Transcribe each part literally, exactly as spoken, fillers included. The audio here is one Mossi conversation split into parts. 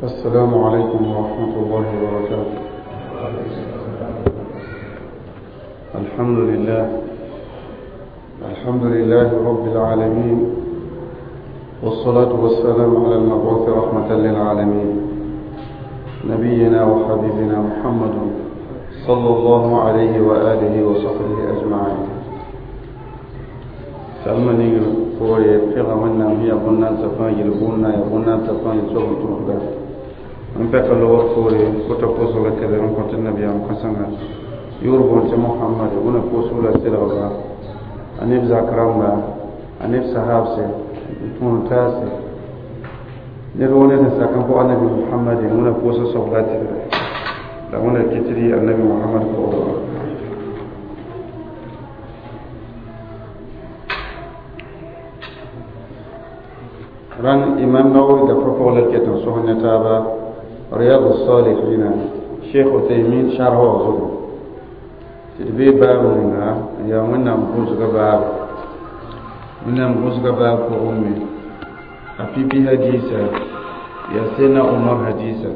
السلام عليكم ورحمة الله وبركاته. الحمد لله الحمد لله رب العالمين، والصلاة والسلام على المبعوث رحمة للعالمين، نبينا وحبيبنا محمد صلى الله عليه وآله وصحبه أجمعين. سلمني فوري فيغا ونا هي قلنا تفان يلبونا يقولنا تفان يسوي تروحدا من بك لو فوري كنت فوصل كذا من كنت النبي عم كسنا يوربون محمد وانا فوصل سلغا أنيب زكرامبا أنيب صحابسي تون تاسي نرونه سكن فوق النبي محمد وانا فوصل صلاتي لا وانا كتري النبي محمد فوق ران إمام نووي دفع لك تنصح نتابع رياض الصالحين شيخ تيمين شرحه زبو تدبي باب لنا يا منا مقوس باب منا مقوس باب فأمي أبي حديثة يا سيدنا عمر حديثة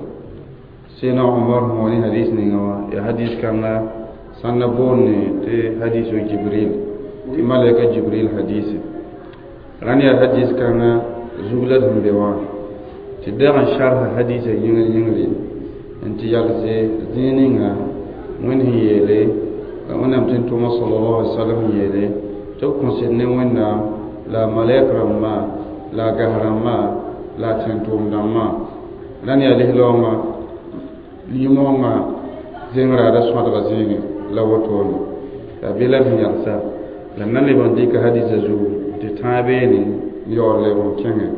سيدنا عمر هوني حديث نيجوا يا حديث كنا سنبوني تي حديث جبريل تي ملك جبريل حديث ران يا حديث كنا زغلت من بيوان تدعى شرح حديث ينغل ينغل انت يالسي زينينغا وين هي يلي وانا متن توما صلى الله عليه وسلم يلي تو كونسيرني وين لا ملائكه رما لا غهرما لا تنتوم دما لن يلي لوما ليموما زينغرا دا سواد زينغ لا وتون لا بلا يالسا لأن اللي بنديك حديث زو تتابعني يور لهم كنغ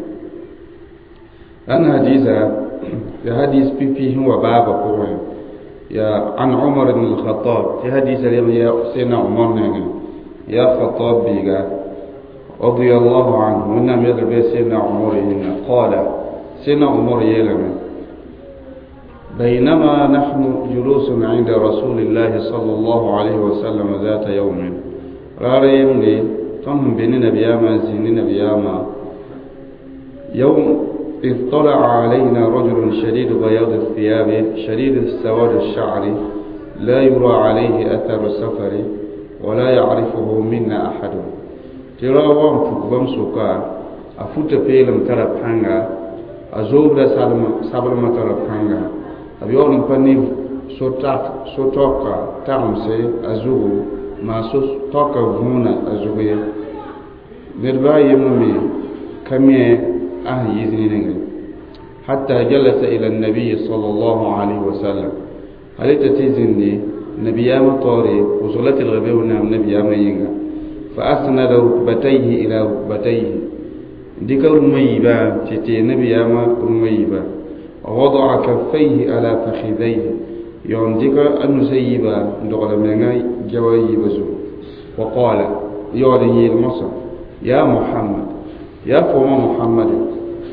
أن حديثة في حديث بي هو بابا قوي يا عن عمر بن الخطاب في حديث اليوم يا سيدنا عمر نعم يا خطاب بيغا رضي الله عنه ونعم يضرب سيدنا عمر إن قال سيدنا عمر يلم بينما نحن جلوس عند رسول الله صلى الله عليه وسلم ذات يوم راريم لي تم بين نبياما زين نبياما يوم اطلع علينا رجل شديد بياض الثياب شديد السواد الشعر لا يرى عليه أثر السفر ولا يعرفه منا أحد. ترى وان فكبم سوكا أفوت فيلم ترى بانغا أزوب دا سابل ما ترى بانغا أبيون بني سوتاك سوتوكا تامسي أزوب ما سوتوكا هنا أزوبي نربا يممي كمي أه يزنين حتى جلس إلى النبي صلى الله عليه وسلم. هل تتزني نبي مطاري وصلت الغبي ونعم نبي مينغا فأسند ركبتيه إلى ركبتيه ديك رميبا تتي نبي رميبا ووضع كفيه على فخذيه يوم ديك النسيبا دغل مينغا جوايبزو وقال يعلي المصر يا محمد يا فوما محمد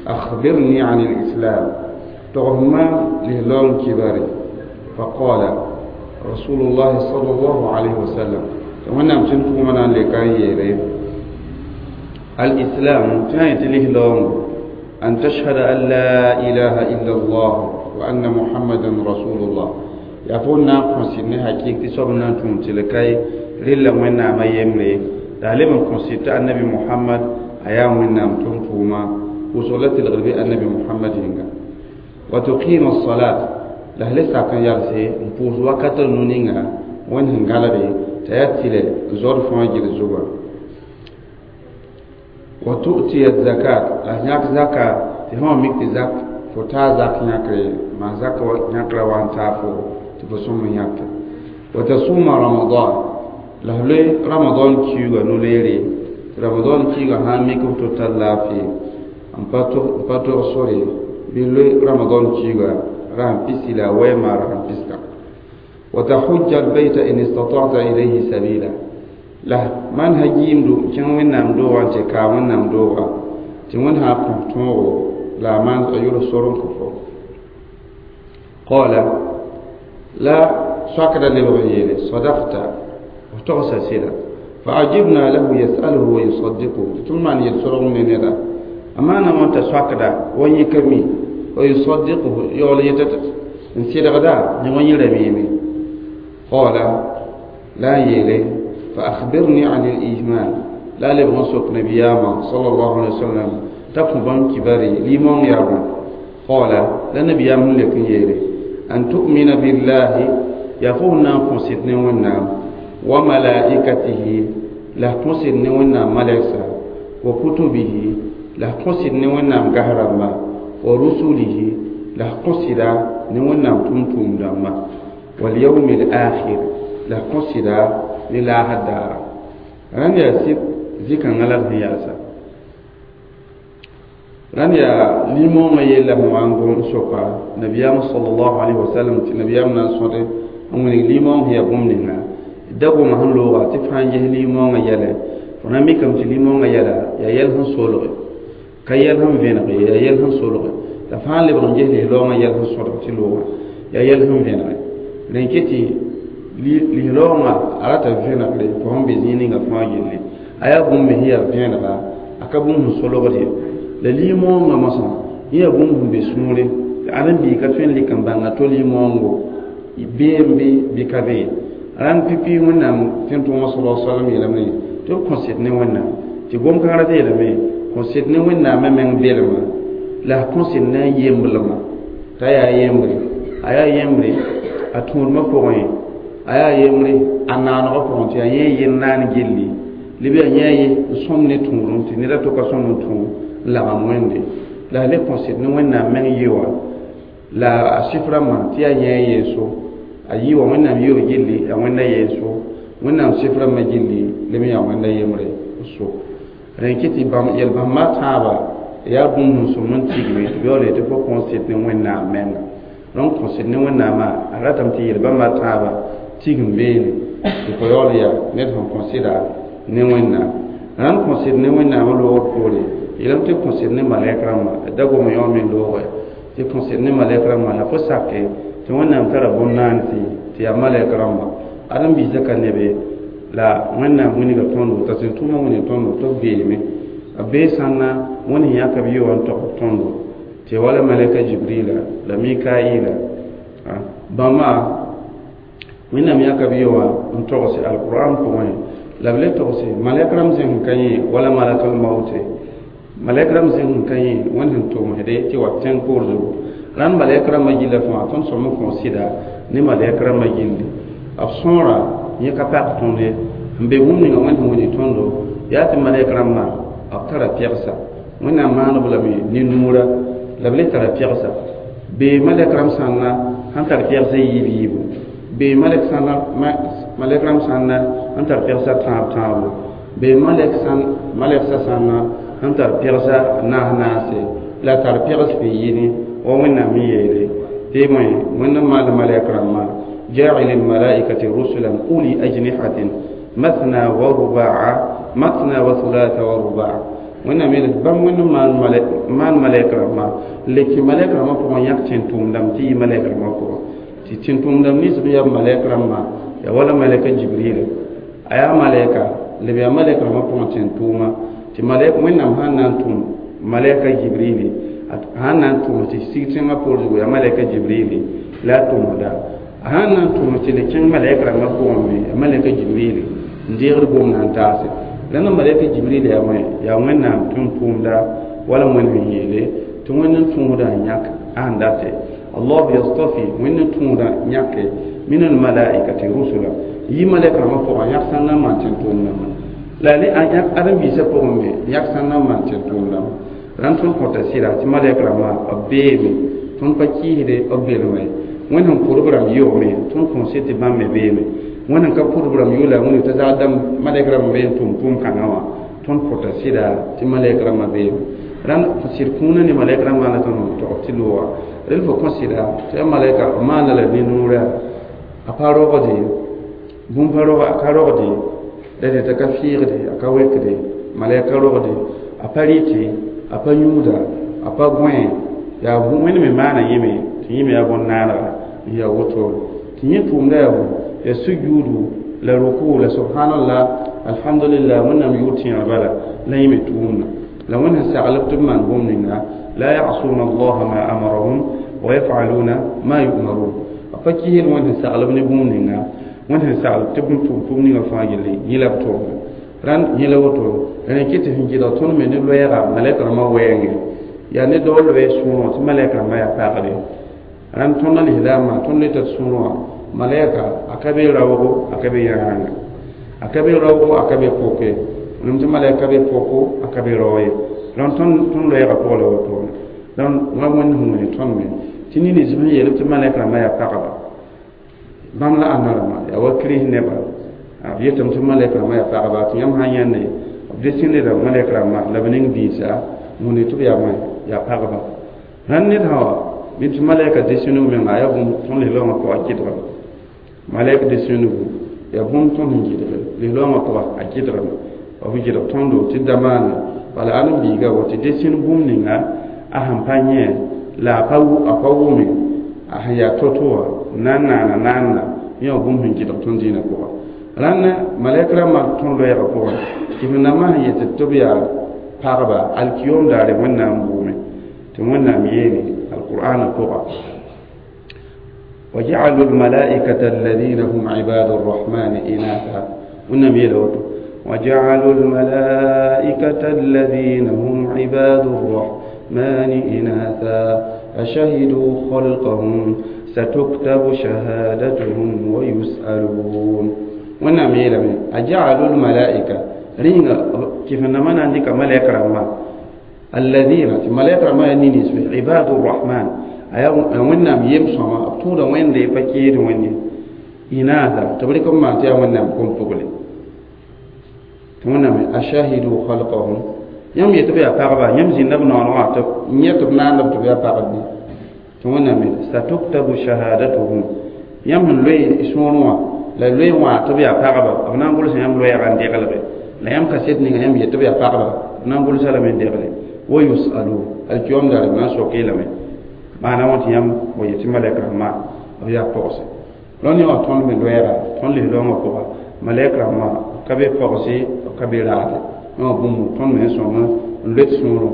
أخبرني عن الإسلام تغمى لهلون كباري. فقال رسول الله صلى الله عليه وسلم وانا مشنتو منا لكاي الإسلام تنايت لهلون أن تشهد أن لا إله إلا الله وأن محمدا رسول الله يفونا كونسيني حقيقة سبنا تمتلكاي لله ونا ما يمري تعلم كونسيت النبي محمد أيام ونا متوما وصلت الغربي النبي محمد هنگا وتقيم الصلاة لهل ساكن يالسي نفوز وقت نونينغا وين هنغالبي تأتي زور فواجر الزبا وتؤتي الزكاة لهناك زكاة تهم ميكت زك فتا زك نياكري ما زك نياكري وان تافو تفسوم نياك وتصوم رمضان لهل رمضان كيوغا نوليري رمضان كيوغا هاميكو تتلافي أمباتو سوري بلوي رمضان كيوغا رام بيسلا وما رام بيسلا وتحج البيت إن استطعت إليه سبيلا له من هجيم دو كان وين نام دو وان تكا وين نام دو تون ها كنتو لا من أيور سورن كفو قال لا سكر لبغيره صدقت وتغسى سيدا فعجبنا له يسأله ويصدقه ثم أن يسرون من هذا أما أنا من تسكر ويكمي ويصدقه يولي نسير غدا نغني رميمي قال لا يلي فأخبرني عن الإيمان لا لبغن نبياما صلى الله عليه وسلم تقبان كباري لمن يرون قال لا نبيام لكن يلي أن تؤمن بالله يفونا قصد نونا وملائكته لا قصد نونا ملائكة وكتبه لا قصد نونا غهرما ورسله لا قصد نونا تمتم دما واليوم الآخر لا قصد لله الدار ران يا سيد زيكا غلط هي ran ya limõongã yella sẽn wa n gom soka nabiyaam sallallahu alaihi wasallam tɩ nabiyaam na n sõde n wilg limõong sẽn yaa bũmb ninga da goma sẽn looga tɩ fãa n ges limõongã yɛlɛ fo na mikame tɩ limõongã yɛla yaa yɛl sẽn solge ka yɛl sẽn vẽnege yaa yɛl sẽn solge la fãa lebg n ges lislaoongã yɛl sẽn sõdg tɩ loogã yaa yɛl sẽn vẽnege rẽn ket tɩ lislaoongã a rata vẽnegre fo sẽn be zĩig ninga fãa gilli a yaa bũmb me sẽn yaa vẽnega a ka bũmb sẽn solgd ye la limõongã mosã yẽ yaa bũmb sẽn be sũure tɩ ãdem-biig ka tõe n lɩk n bãnga to limõongo beem bɩ bɩ ka bee rãnd pipi wẽnnaam tẽn-tʋʋmã sala salam yeelame tɩ b kõsd ne wẽnnaam tɩ gom-kãngã rata yeelame kõsd ne wẽnnaamã meng belma la a kõsd ne a yemblmã t'a yaa yembre a yaa yembre a tũudmã pʋgẽ a yaa yembre a naanegã pʋgẽ tɩ yaa yẽ yel naan gilli lb yaa yẽ ye n sõm ne tũudum tɩ ned a to ka sõm n tũ n lagem wẽnde la a le kõsd ne wẽnnaam meng yɩ la a sɩf rãmbã tɩ yaa yẽ yeeso a yɩ wa wẽnnaam yɩ gilli yaa wẽnda yeeso wẽnnaam sɩf rãmbã gilli leb n yaa wẽnda yembre so rẽn kɩ tɩ yel-bãmba tãaba yaa bũmb sẽn sõm n tigme tɩ beoole tɩ fo kõsd ne wẽnnaam menga donc kõsd ne wẽnnaamã a ratame tɩ yel-bãmba tãaba tigm beene tɩ fo yaool yaa ned sẽn kõsda ne wẽnnaam rãnd kõsd ne wẽnnaamã loogr poore yeelame tɩ kõsd ne malɛk rãmbã da gom yõ me loogɛ tɩ kõsd ne malɛk rãmbã la fo sake tɩ wẽnnaam tara bõn-naansi tɩ yaa malɛk rãmbã ãdem-biisã ka nebe la wẽnnaam wilga tõndo t'a sẽn tʋʋmã wĩnɩ tõndo tɩ b beeme a bee sãnna wẽnd sẽn yãka b yɩ wã n tog tõndo tɩ wala malɛka jibrila la mikaila bãmba wẽnnaam yãka b yɩ wã n togse alquran pʋgẽ la b le togse malɛk rãmb zẽng ka yẽ wala malakal maute malɛk rãmb zẽng ka yẽ wẽnd sẽn tʋmsde tɩ wa tẽng poor zugu rãnd malɛk rãmbã gilla fãa tõnd sõm n kõ sɩda ne malɛk rãmbã gilli b sõora yẽ ka pak tõnd ye n be bũmb ninga wẽnd sẽn wilg tõndo yaa tɩ malɛk rãmbã b tara pɛgsa wẽnnaam maaneb lame ne nuura la b le tara pɛgsa bee malɛk rãmb sãnna sãn tar pɛgsa yiib yiibu bee malɛk sãnna malɛk rãmb sãnna n tar pɛgsa tãab tãabo bee malɛk sãn malɛksa sãnna n tar pɛgsa naas naase la tar pɛgs fɩ yɩne wa wẽnnaam n yeele tɩ bõe wẽnd n maal malɛk rãmbã جاعل الملائكة رسلا أولي أجنحة مثنى ورباع مثنى وثلاث ورباع wẽnnaam yeel bãmb wẽnd maan malɛk rãmbã le tɩ malɛk rãmbã pʋgẽ yãk tẽn-tʋʋmdame tɩ yɩ malɛk rãmbã pʋgẽ tɩ tẽn-tʋʋmdame nins b yaa malɛk rãmbã yaa wala malɛka jibrila a yaa malɛka lb yaa malɛk rãmbã pʋgẽ tẽn-tʋʋma tɩ malɛk wẽnnaam sãn na n tʋm malɛka jibrili sãn na n tʋm tɩ sig tẽngã poor zugu yaa malɛka jibrili la a tʋmsda sãn na n tʋm tɩ le kẽng malɛk rãmbã pʋgẽ me yaa malɛka jibrili n deegd gomdã n taase la na malɛka jibril yaa wẽ yaa wẽnnaam tʋm-tʋʋmda wala wẽnd sẽn yeele tɩ wẽnd n tũudã n yãk ãn date allah yastafi wẽnd n tũudã yãke min almalaikati rusula yi malɛk rãmbã pʋgã yãk sãn na n maan tẽn-tʋʋmdãmbã la le ãdem-biisã pʋgẽ me yãk sãn na n maan tẽn-tʋʋmdãmbã rãnd tõnd kõta sɩda tɩ malɛk rãmbã b beeme tõnd pa kɩɩsde b belmã ye wẽnd sẽn pʋdb rãmb yoome tõnd kõn sɩd tɩ bãmb me beeme wẽnd n ka pʋdb rãmb yoola wẽnd t'a zag dãmb malɛk rãmb be n tʋm tʋʋm kãngã wã tõnd kõta sɩda tɩ malɛk rãmbã beeme rãnd sɩd kũunã ne malɛk rãmbã la tõnd tog tɩ looga rel fo kõ sɩda tɩ yaa malɛka b maana la ne nuurã a pa rogde bũmb pa rog a ka rogde la tɩ t'a ka fɩɩgde a ka wekde malɛk ka rogde a pa rɩte a pa yũuda a pa gõe yaa wẽnd me maana yẽme tɩ yẽ me yaa bõn-naanega n yaa woto tɩ yẽ tʋʋmda yaa bõe yaa sujuudu la ruku la subhanallah alhamdulillah wẽnnaam yʋʋr tẽegr bala la yẽ me tʋʋmda la wẽnd sẽn saglb tɩ b maan bũmb ninga لا يعصون الله ما أمرهم ويفعلون ما يؤمرون pa kiisd wẽnd sẽn saglb ne bũmb ninga wẽnd sẽn saglb tɩ bũmb tʋm tʋm ninga fãa gilli yẽ la b tʋʋmda rãnd yẽ la woto la rẽ kɩ tɩ sẽn gɩdg tõnd me ne loɛɛga malɛk rãmbã wɛɛngẽ yaa ne dao loɛɛ sõorẽ tɩ malɛk rãmbã yaa pagde rãnd tõnd lislaamã tõnd le tar sõor wã malɛka a ka be raoogo a ka be yãanga a ka be raoogo a ka be poke wẽnnaam tɩ malɛk ka be poko a ka be rao ye rãnd tõnd tõnd loɛɛga pʋgã la wotone rãnd wã wẽnd sẽn wẽne tõnd me tɩ nins sẽn yeel tɩ malɛk rãmbã yaa pagba bãmb la ãnna rãmbã yaa wa kirist neba b yetame tɩ malɛk rãmbã yaa pagba tɩ yãmb sã n yãnde b desẽneda malɛk rãmbã la b ning biisa wẽnde tɩ b yaa wã yaa pagba rãnd ned sã wa bɩ tɩ malɛka desẽneg menga yaa bũmb tõnd lislaoongã pʋga a kɩdgame malɛk desẽnego yaa bũmb tõnd sẽn gɩdge lislaoongã pʋga a kɩdgame b gɩdg tõndo tɩ da maane bala ãdem-biiga wa tɩ desẽn bũmb ninga a sẽn pa yẽ la a pa wʋme a sẽn yaa to-to wã na n naana naanna yẽ wã bũmb sẽn gɩdg tõnd dĩinã pʋga rãnd malɛk rãmbã tõnd loɛɛgã pʋgẽ tɩ rãmbã sẽn yet tɩ b yaa pagba alkiyom daare wẽnnaam bʋʋme tɩ wẽnnaam yeene alqur'ana pʋga وجعلوا الملائكة الذين هم عباد الرحمن إناثا ونم يلوتو وجعلوا الملائكة الذين هم عباد الرحمن إناثا أشهدوا خلقهم ستكتب شهادتهم ويسألون ونم يلوتو أجعلوا الملائكة رينا كيف نمنا عندك ملائكة رحمة الذين ملائكة رحمة نينيس عباد الرحمن wẽnnaam yem sõma b tũuda wẽnde pa keed wẽnde inaasa tɩ b rɩk n maan tɩ yaa wẽnnaam kom-pugle tɩ wẽnnaam ashahidu khalqahum yãmb yetɩ b yaa pagba yãmb zĩnda b noorẽ wã tɩ yẽ tɩ b naanda b tɩ b yaa pagb bɩ tɩ wẽnnaam satuktabu shahadatuhum yãmb sẽn loe sõor wã la loe wã tɩ b yaa pagba b na n gʋlsa yãmb loɛɛga n deglge la yãmb kaset ninga yãmb yetɩ b yaa pagba b na n gʋlsa lame n degle wa yusalun alkiyom daare b na n soke lame maana wã tɩ yãmb wa yetɩ malɛk rãmbã b yaa pɔgse rõnd yã wã tõnd me loɛɛga tõnd lislaoongã pʋga malɛk rãmbã ka be pɔgse b ka be raade yã wã bũmb tõnd me sõng n loet sõorẽ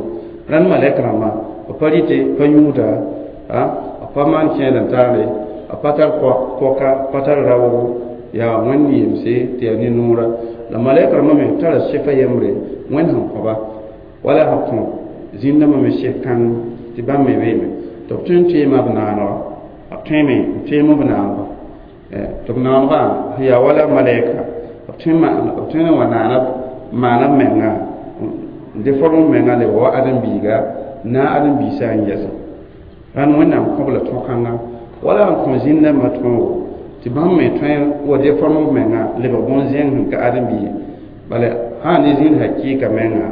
rãnd malɛk rãmbã b pa rɩte pa yũuda b pa maan kẽed n taale b pa tar pɔka pa tar raoogo yaa wẽnd yemse tɩ yaa ne-noora la malɛk rãmbã me tara sɩfa yembre wẽnd sẽn kõba wala sẽn kõ zĩndãmbã me sɩf kãng tɩ bãmb me beeme tɩ b tõe n teema b naanega b tõeme n teem b naanega tɩ b naanegã sẽn yaa wala malɛka b tõe b tõe n wa naana maana b menga n deform b menga lebg wa ãdem-biiga na ãdem-biisã n yɛsẽ rãnd wẽnnaam kõb la tõkãnga wala n kõ zĩn-dãmbã tõogo tɩ bãmb me tõe wa deform b menga lebg bõn-zẽng sẽn ka ãdem-bii bala sã ne zĩnd hakɩɩka menga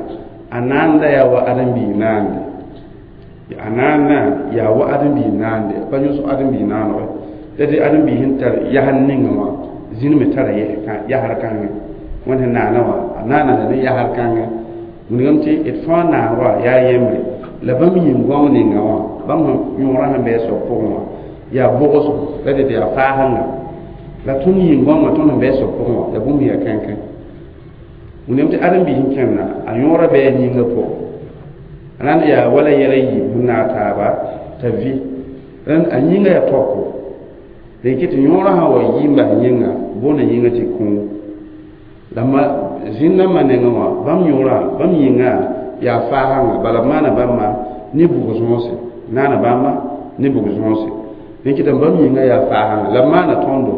a naanda yaa wa ãdem-bii naande a naanda yaa wa ãdem-bii naande pa yõsg ãdem-bii naanege la tɩ ãdem-bii sẽn tar yasr ninga wã zĩnd me tara yasr kãngẽ wẽnd sẽn naana wã a naana la ne yasr kãngẽ wilgame tɩ d fãa naanegã yaa yembre la bãmb yĩng goam ninga wã bãmb yõorã sẽn bɩ a soab pʋgẽ wã yaa bʋgsgo la tɩ yaa faasẽnga la tõnd yĩng goamã tõnd sẽn bɩ a soab pʋgẽ wã yaa bũmb yaa kãnkã wilgame tɩ ãdem-biis sẽn kẽnda a yõorã bɩ a yĩngã pʋgẽ rãnd yaa wala yɛla yiib sẽn naag taaba t'a vɩ rãnd a yĩngã yaa tɔko la yikɩ tɩ yõorã sã wa yɩ n bas yĩnga boonda yĩngã tɩ kũu la ma zĩn-dãmbã nengẽ wã bãmb yõorã bãmb yĩngã yaa faasãnga bala b maana bãmba ne bug-zõose naana bãmba ne bug-zõose rẽ kɩtame bãmb yĩngã yaa faasãnga la b maana tõndo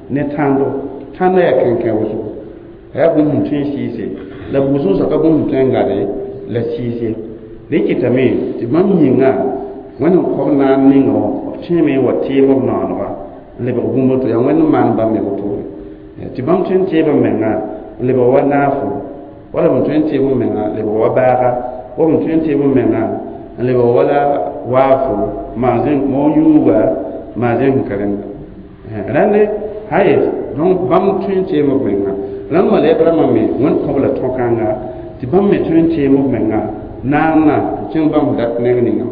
ne tãndo tãndã yaa kẽnkẽ wʋsgo a yaa bũmb sẽn tõe n sɩɩse la bug-zõosã ka bũmb sẽn tõe n gade la sɩɩse rẽ kɩtame tɩ bãmb yĩngã wẽnd n kõb naan ninga wã b tõeme n wa teem b naoonega n lebg bũmb to yaa wẽnd n maan bãmb me wotone tɩ bãmb tõe n teeb b menga n lebg wa naafo wala b tõe n teeb b menga lebg wa baaga wa b tõe n teeb b menga n lebg wala waafo maa moog yũuga maa zẽng sẽn ka rẽnda rãnde haye donc bãmb tõe n teem b menga rãnd malɛk rãmbã me wẽnd kõb la tõkãnga tɩ bãmb me tõe n teem b menga naanna n kẽng bãmb dat neng ninga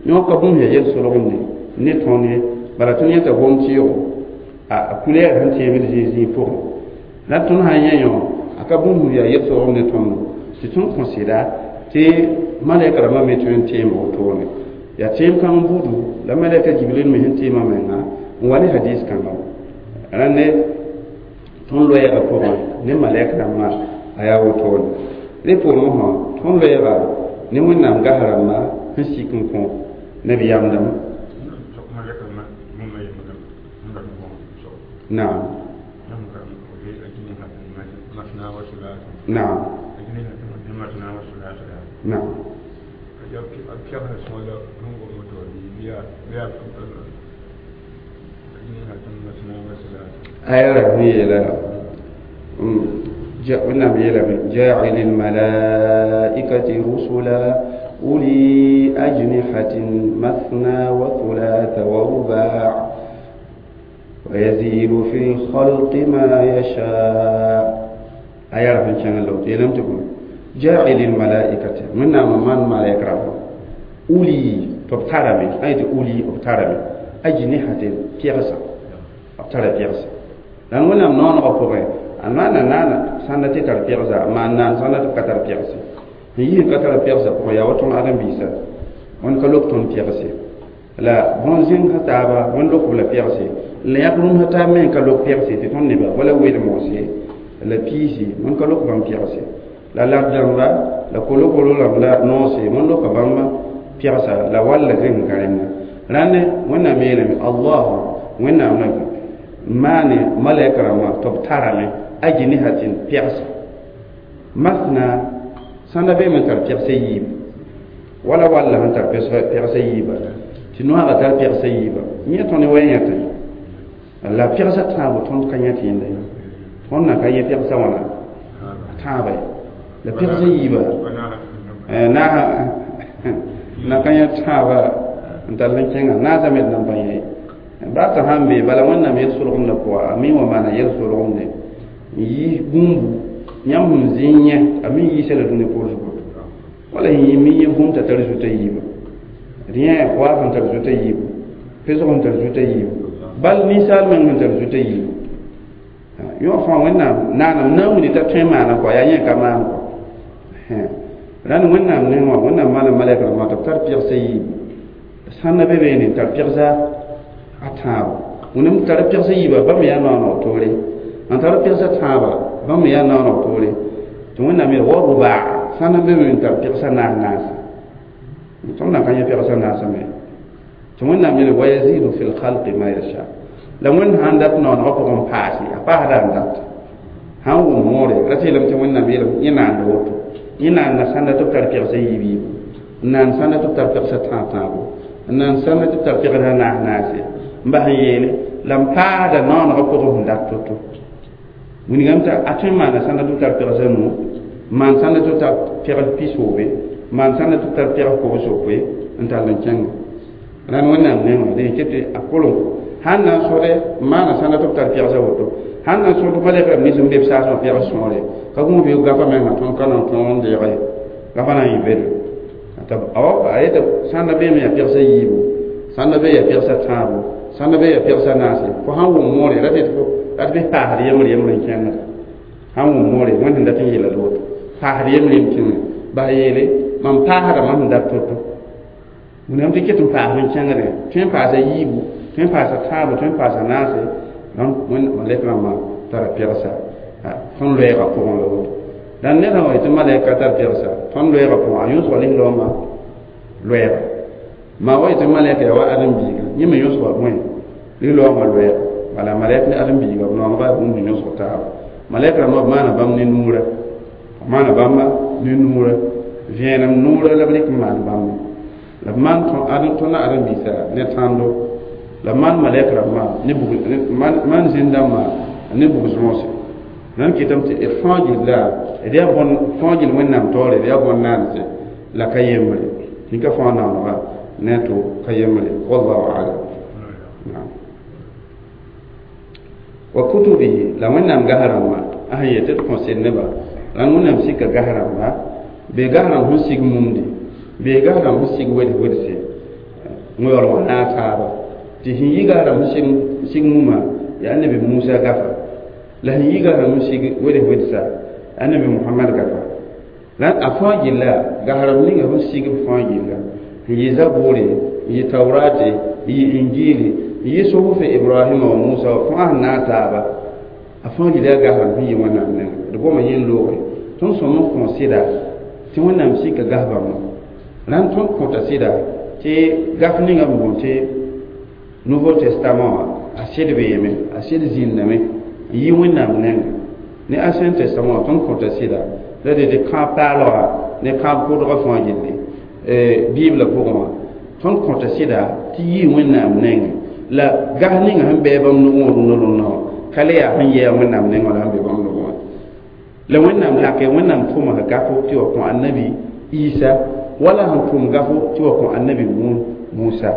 yõ ka bũmb yaa yel-solgemde ne tõnd ye bala tõnd yẽta gom tɩɩgo a kulɛɛr sẽn teebd zĩig pʋgẽ la tõnd sã n yẽ yõ a ka bũmb yaa yel-solgem ne tõndo tɩ tõnd kõ sɩda Tɩ malɛk rãmbã me tõe n tẽem wotone yaa tẽem kãng buudu la malɛka Jibril me sẽn tẽemã menga n wa ne hadis kãngã rãnd ne tõnd loɛɛgã pʋgẽ ne malɛk rãmbã a yaa wotone rẽ poorẽ wã tõnd loɛɛga ne Wẽnnaam gas rãmba sẽn sik n kõ nabiyaam dãmb naam naam naam aya ra yeela Wẽnnaam yeelame jaacili lmalaikati rusula uli ajnihatin mathna wa thulatha wa rubaa ويزيد في الخلق ما يشاء aya ra sẽn kẽng la woto yeelame tɩ bõe jaacili lmalaikati Wẽnnaam n maan malɛk rãmba uli tɩ b tarame sã n yetɩ uli b tarame ajnihatin pɛgsa b tara pɛgsa la Wẽnnaam noonegã pʋgẽ a maana naana sãnda tɩ tar pɛgsa maan naan sãnda tɩ b ka tar pɛgse sẽn yis n ka tar pɛgsa pʋgẽ yaa wa tõnd ãdem-biisã wẽnd ka lok tõnd pɛgse la bõn-zẽng taaba wẽnd lok b la pɛgse la yãk rũmsã taab me n ka lok pɛgse tɩ tõnd neba wala wed-moose la piisi wẽnd ka lok bãmb pɛgse la lab dãmba la kolo-kolo rãmb la noose wẽnd loka bãmb pɛgsa la wall la zẽng ka rẽnda rãnd Wẽnnaam yeelame allahu Wẽnnaam la maane malɛk rãmbã tɩ b tarame ajnihatin pɛgsa masna sãnda beeme n tar pɛgsa yiib wala walla sẽn tar pɛgsa yiiba tɩ noaagã tar pɛgsa yiiba yẽ tõnd wa yẽtẽ la pɛgsa tãabo tõnd ka yẽt yẽnda ye tõnd na ka yẽ pɛgsa wãna tãaba ye la pɛgsa yiiba naasa na ka yẽ tãaba n tall n kẽnga naasã me d nan pa yẽ baa t'a sãn be bala Wẽnnaam yel-solgemdã pʋga a mi wã maana yel-solgemde n yiis bũmbu yãmb sẽn zĩ n yẽ a me yiisa la dũni poor zugu wala sẽn mi yẽ bũmb t'a tar zuta yiiba d yẽ waaf n tar zuta yiibu pesg n tar zuta yiibu bal ninsaal meng sẽn tar zuta yiibu yõ fãa Wẽnnaam naanam na n wilg t'a tõe n maana kɔa yaa yẽ ka maan kɔ rãnd Wẽnnaam neng wã Wẽnnaam maana malɛk rãmbã tɩ b tar pɛgsa yiibu sãnda be beene n tar pɛgsa a tãabo wẽnnaam tar pɛgsa yiiba bãmb yaa naooneg toore n tar pɛgsa tãaba bãmb yaa naooneg toore tɩ Wẽnnaam yeel wa rubaa sãnda be me n tar pɛgsa naas naase tõnd na ka yẽ pɛgsa naasã me tɩ Wẽnnaam yeele wa yazidu fi lkhalqi ma yasha la Wẽnd sãn dat naoonegã pʋgẽ n paase a paasda n dat sãn wʋm moore ra tɩ yeelame tɩ Wẽnnaam yeelame yẽ naanda woto yẽ naanda sãnda tɩ b tar pɛgsa yiib yiibu n naan sãnda tɩ b tar pɛgsa tãab tãabo n naan sãnda tɩ b tar pɛgsa naas naase n bas n yeele la n paasda naoonegã pʋgẽ sẽn dat to-to wilgame t'a a tõe n maana sãnda tɩ b tar pɛgsa nuu maan sãnda tɩ b tar pɛgl pisoobe maan sãnda tɩ b tar pɛgl kobs-yopoe n tall n kẽnga rãnd Wẽnnaam nengã dẽ ket tɩ a kolem sãn na n sõde n maana sãnda tɩ b tar pɛgsa woto sãn na n sõd malɛk rãmb nins n be b saasmã pɛgs sõore ka gũus bɩ gafa menga tõnd ka na n tõog n deege gafa na n yɩ bedo a yeta sãnda beeme yaa pɛgsa yiibu sãnda be yaa pɛgsa tãabo sãnda be yaa pɛgsa naase fo sãn wʋm moore ra tɩ fo ra tɩ bɩ paasd yembre yembre n kẽngda sãn wʋm moore Wẽnd sẽn dat n yeela la woto paasd yembre yem kẽnga bas yeele mam paasda mam sẽn dat to-to wẽnnaam tɩ ket n paasd n kẽngdẽ tõe n paasa yiibu tõe n paasa tãabo tõe n paasa naase malɛk rãmbã tara pɛgsa tõnd loɛɛgã pʋgẽ la woto dãn ned sã wa yetɩ malɛk ka tar pɛgsa tõnd loɛɛgã pʋgẽ a yõsga lislaoomã loɛɛga maa wa yetɩ malɛk yaa wa ãdem-biiga yẽ me yõsga bõe lislaoongã loɛɛga bala malɛk ne ãdem-biiga b noongba yaa bũmb sẽn yõsg taaba malɛk rãmbã b maana bãmb ne nuurã b maana bãmba ne nuurã vẽenem nuurã la b rɩk n maan bãmba la b maan tõnd ãdem-biisã ne tãndo la b maan malɛk rãmbã ne bug maan zĩn-dãmbã ne bug-zõose nan kɩtame tɩ d fãa gilla d yaa bõn fãa gill Wẽnnaam taoore d yaa bõn-naanse la ka yembre tɩ ka fãa naoonega ne a to ka yembre wallahu alam wa kutubihi la Wẽnnaam gas rãmbã a sẽn yet tɩ d kõ sed nebã rãnd Wẽnnaam sika gas rãmba bee gas rãmb sẽn sig mumdi bee gas rãmb sẽn sig weds-wedse yaool wã naag taaba tɩ sẽn yi gas rãmb sẽn sig mumã yaa Annabi Musa gafa la sẽn yi gas rãmb sẽn sig weds-wedsa Annabi Muhammad gafa La a fãa gilla gahrem ninga sẽn sig b fãa gilla n yɩ zabʋʋre n yɩ taurate n yɩ injili n yɩ suhuf ibrahima wa musa wa fãa sẽn naag taaba a fãa gilla yaa gahrem sẽn yɩ wẽnnaam nengẽ d goma yẽ n looge tõnd sõm n kõ sɩda tɩ wẽnnaam sika gas bãmba rãnd tõnd kõta sɩda tɩ gaf ninga b boond tɩ Nouveau Testament wã a sɩd beeme a sɩd zĩndame n yɩ wẽnnaam nengẽ ne Ancien Testament wã tõnd kõta sɩda la de tɩ kãab paalga ne kãab kʋdgã fãa gilli biblã pʋgẽ wã tõnd kõta sɩda tɩ yɩ wẽnnaam nengẽ la gas ninga sẽn bɩ bãmb nugẽ wã rũnã rũnã wã ka le yaa sẽn yɛɛ wẽnnaam nengẽ wã la sẽn be bãmb nugẽ wã la wẽnnaam lake wẽnnaam tʋma gafo tɩ wa kõ annabi Isa wala sẽn tʋm gafo tɩ wa kõ annabi Musa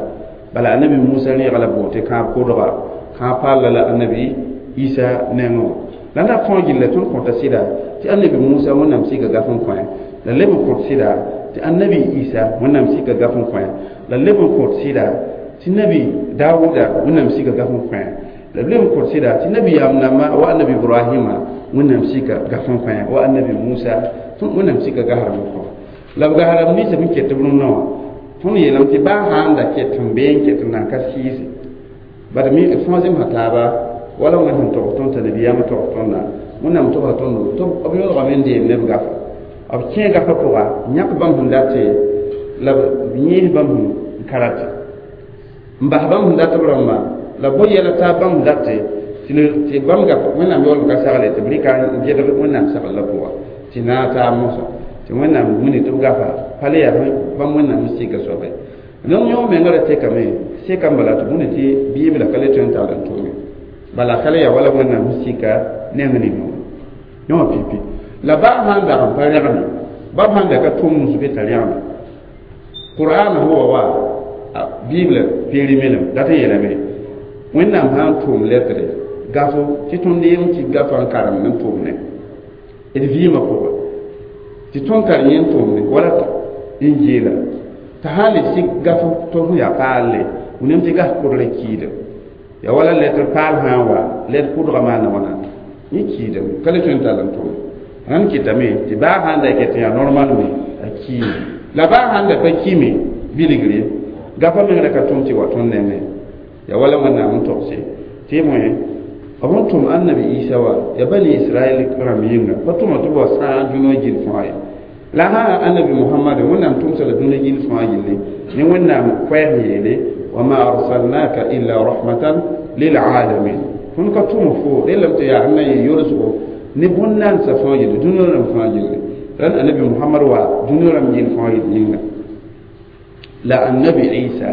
bala annabi Musa rẽega la boond tɩ kãab kʋdga kãab paalla la annabi Isa nengẽ wã la na fãa gilla tõnd kõta sɩda tɩ annabi Musa wẽnnaam sika gaf n kõ la leb n kõt sɩda tɩ annabi Isa wẽnnaam sika gaf n kõ la leb n kõt sɩda tɩ nabi Dawuda wẽnnaam sika gaf n kõ la leb n kõt sɩda tɩ nabi yaam namba wa annabi Ibrahima wẽnnaam sika gaf n kõ wa annabi Musa tõnd wẽnnaam sika gasrem n kõ la b gasrem ninsã sẽn ket b rũnnã wã tõnd yeelame tɩ baa sã n da ket n bee n ket n nan ka sɩɩse bad mi fãa zemsa taaba wala wẽnd sẽn tog tõnd t'a nabiyaamã tog tõndã wẽnnaam togsa tõndo tɩ b yõlgame n deem ne b gafa b kẽ gafã pʋga yãk bãmb sẽn date la b yẽes bãmb sẽn ka rate n bas bãmb sẽn dat b rãmbã la bõe yɛla taab bãmb sẽn date tɩ bãmb gaf wẽnnaam yaool ka sagle tɩ b rɩka n gedg wẽnnaam saglã pʋga tɩ naag taab mosã tɩ wẽnnaam wilg tɩ b gafa pa le yaa bãmb wẽnnaam n sika soabe donc yõ menga ra tekame sekam bala tɩ bũni tɩ biibla ka le tõe n tall n tʋme bala ka le yaa wala wẽnnaam sẽn sika neng ninga wã yõ pipi la baa sãn dag n pa rẽgme ba sãn da ka tʋm nus be t'a rẽgme qur'an sẽn wa wa bibla périmélem dat n yeelame wẽnnaam sã n tʋʋm lɛtre gafo tɩ tõnd yem tɩ gafa n karem n tʋʋmne d vɩɩmã pʋgã tɩ tõnd tar yẽ n tʋʋmne wala injiila t'a sã n le sik gafo tɩ f yaa paalle wẽnnaam tɩ gas kʋdrã kiidem ya wala letr paal sã n wa letr kʋdgã maana wãna yẽ kiidem ka le tõe n tall n tʋme rãnd kɩtame tɩ baa sã n da ket n yaa normal me a kiime la baa sãn da pa kime bilgre gafa meng ra ka tʋm tɩ wa tõnd nengẽ ya wala wẽnnaam n togse tɩ y moẽ b sẽn tʋm annabi Isa wa ya bani Israɛl rãmb yĩnga pa tʋma tɩ b wa sãag dũniyã gill fãa ye la sã annabi Muhammad wẽnnaam tʋmsa la dũniyã gill fãa gilli ne wẽnnaam koɛɛs yeele wa ma arsalnaka illa rahmatan lilalamin tõnd ka tʋm fo rellame tɩ yaa sẽn na yɩ yolsgo ne bõn-naandsã fãa gilli dũniyã rãmb fãa gilli rãnd annabi Muhammad wa dũniyã rãmb gill fãa gill yĩnga la annabi Isa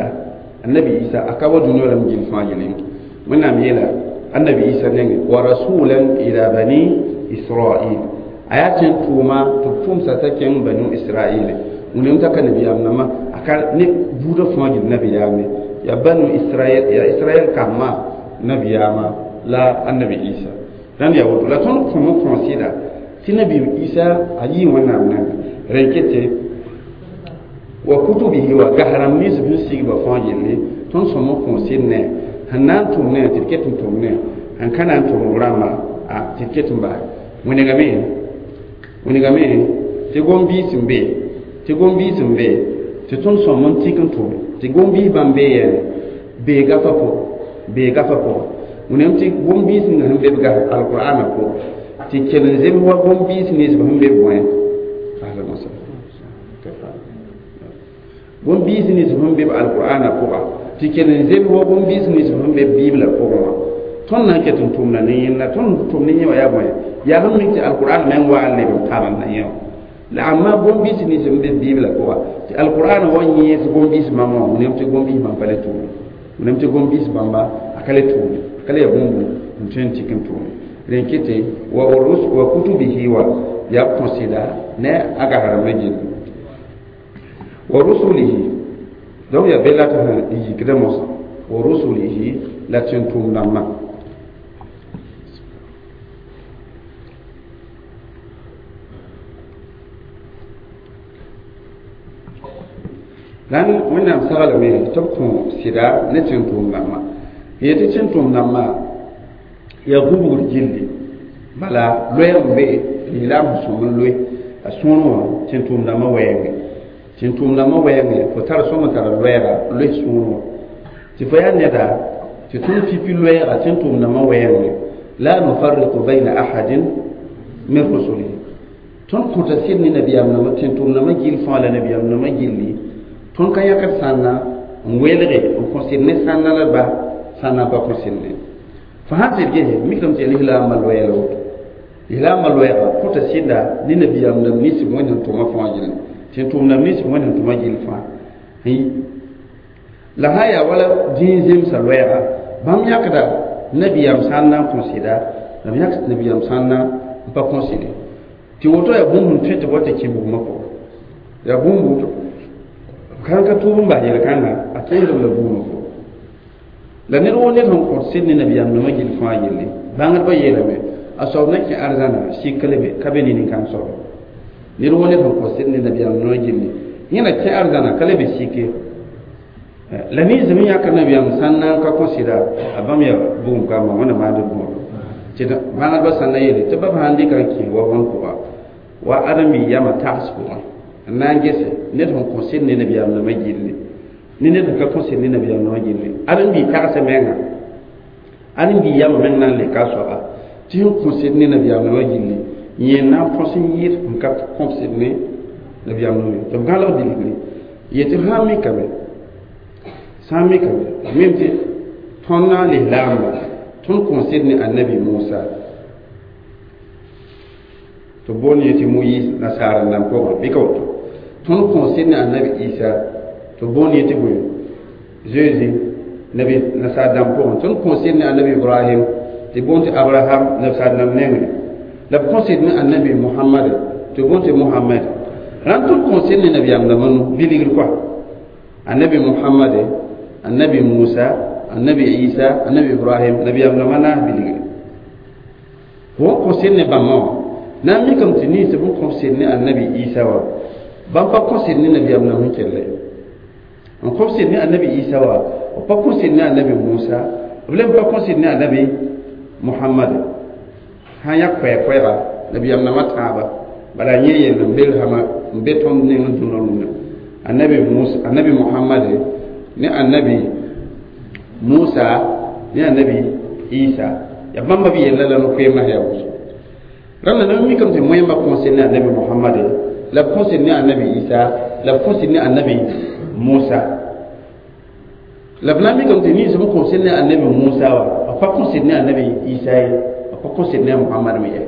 annabi Isa a ka wa dũniyã rãmb gill fãa gill yĩnga wẽnnaam yeela annabi Isa nengẽ wa rasulan ila bani Israil a yaa tẽn tʋʋma tɩ b tʋmsa t'a kẽng banu Israil wẽnnaam t'a ka nabiyaam nambã a ka ne buudã fãa gill nabiyaame ya banu Israil ya Israel kambã nabiyaamã la annabi Isa rãnd yaa woto la tõnd kõm n kõ sɩda tɩ nabi Isa a yɩ wẽnnaam nengẽ rẽn kete wa kutubihi wa gas rãmb nins sẽn sigba fãa gilli tõnd sõm n kõ sɩd ne sẽn na n tʋm ne tɩ d ket n tʋm ne sẽn ka na n tʋm b rãmba tɩ d ket n bas wẽnegame wẽnegame tɩ gom-biis n be tɩ gom-biis n be tɩ tõnd sõm n tik n tʋme tɩ gom-biis bãmb bee yɛɛne bee gafa pʋgẽ bee gafa pʋgẽ wẽnnaam tɩ gom-biis ninga sẽn be b gas alqur'ana pʋgẽ tɩ kell n zems wa gom-biis nins sẽn be bõe gom-biis nins sẽn be b alqur'ana pʋga tɩ kell n zems wa gom-biis nins sẽn be bibla pʋgẽ wã tõnd na n ket n tʋmda ne yẽnda tõnd tʋm ne yẽ wã yaa bõe yaa sẽn mik tɩ alqur'an meng wa n leb n tabend na yẽ wã la amma gom-biis nins sẽn be bibla pʋga tɩ alqur'an wa yẽes gom-biis bãmb wã wẽnnaam tɩ gom-biis bãmb pa le tʋʋme wẽnnaam tɩ gom-biis bãmba a ka le tʋʋme a ka le yaa bũmb n tõe n tik n tʋʋme rẽn kete wa wa kutubihi wa yaa b kõ sɩda ne a gas rãmbã gilli wa rusulihi donc yaa be la tɩ sẽn yikdã mosã wa rusulihi la tẽn tʋʋm dãmbã la wẽnnaam saglame tɩ b kõ sɩda ne tẽn tʋʋm dãmbã yetɩ tẽn tʋʋm dãmbã yaa gũbgr gilli bala loɛɛg n be lislaam sẽn sõm n loe a sõor wã tẽn-tʋʋmdãmbã wɛɛngẽ tẽn-tʋʋmdãmbã wɛɛngẽ fo tar sõm n tara loɛɛga loes sũur wã tɩ fo yaa neda tɩ tõnd pipi loɛɛga tẽn-tʋʋmdãmbã wɛɛngẽ la nufarriqu bayna ahadin min rusulihi tõnd kõta sɩd ne nabiyaam nãmbã tẽn-tʋʋmdãmbã gill fãa la nabiyaam nãmbã gilli tõnd ka yãkd sãnna n welge n kõ sɩd ne sãnna la ba sãnna pa kõ sɩd ne fo sãn sɩd gese mikame tɩ lislaambã loɛɛla woto lislaambã loɛɛga kõta sɩda ne nabiyaam nam nins wẽnd sẽn tʋma fãa gilli tẽn-tʋʋmdãmb nins wẽnd sẽn tʋma gill fãa la sã yaa wala dĩin zemsã loɛɛga bãmb yãkda nabiyaam sãnna n kõ sɩda la b yãk nabiyaam sãnna n pa kõ sɩde tɩ woto yaa bũmb n tõe tɩ wa tɩ kẽ bugmã pʋgẽ yaa bũmb woto kãn ka tʋʋb n bas yel-kãnga a tẽesdb la bugmã pʋgẽ la ned woo ned sẽn kõt sɩd ne nabiyaam nãmã gill fãa yelle bãngdbã yeelame a soab na kẽ arzãna sik ka lebe ka be ne nin-kãng soabe ned woo ned sẽn kõt sɩd ne nabiyaam nãmã gilli yẽ na kẽ arzãna ka lebe sike la ninsem n yãkd nabiyaam sãn na n ka kõ sɩda a bãmb yaa bugum kambã wẽnna maand b bõodo tɩ bãngdbã sãn na yeele tɩ ba sãn dɩka n kẽ wa bõn pʋga wa ãdem-bi yamã tags pʋgẽ n na n gese ned sẽn kõ sɩd ne nabiyaam nãmã gilli ne ned sẽn ka kõ sɩd ne nabiyaam nãmã gilli ãdem-bi tagsa menga ãdem-bi yamã meng na n leka a soaba tɩ sẽn kõ sɩd ne nabiyaam nãmã gilli yẽ na n põs n yɩɩd n ka kõ sɩd ne nabiyaam nãmã tɩ b gãlg bilgre yetɩ sã n mikame sã n mikame mem tɩ tõnd na n lislaamba tõnd kõ sɩd ne annabi Musa tɩ boond yetɩ Moyiis nasaar n nan pʋgẽ bɩ ka woto tõnd kõ sɩd ne annabi Isa tɩ boond yetɩ bõe Zeezi nabi nasaar dãmb pʋgẽ tõnd kõ sɩd ne annabi Ibrahim tɩ boond tɩ Abraham nasaar dãmb nengẽ la b kõ sɩd ne annabi Muhammad tɩ boond tɩ Muhammad rãnd tõnd kõ sɩd ne nabiyaam dãmbã nu bilgr koa annabi Muhammad annabi Musa annabi Isa annabi Ibrahim nabiyaam dãmbã naas bilgre fo kõ sɩd ne bãmba wã na n mikame tɩ ninsb n kõ sɩd ne annabi Isa wã bãmb pa kõ sɩd ne nabiyaam nam sẽn kell n kõ sɩd ne annabi Isa wã b pa kõ sɩd ne annabi Musa b lem pa kõ sɩd ne annabi Muhammad sã n yãk koɛɛ-koɛɛga nabiyaam nãmã tãaba bala yẽ yell n be rãmã n be tõnd neng n dũnã rũndã annabi Musa annabi Muhammad ne annabi Musa ne annabi Isa ya bãmba b yella la no-koeemã yaa wʋsgo rãnda na mikame tɩ moẽmba kõ sɩd ne annabi Muhammad la b kõ sɩd ne annabi Isa la b kõ sɩd ne annabi Musa la b na n mikame tɩ ninsb n kõ sɩd ne annabi Musa wã b pa kõ sɩd ne annabi Isa ye b pa kõ sɩd ne a Muhammad me ye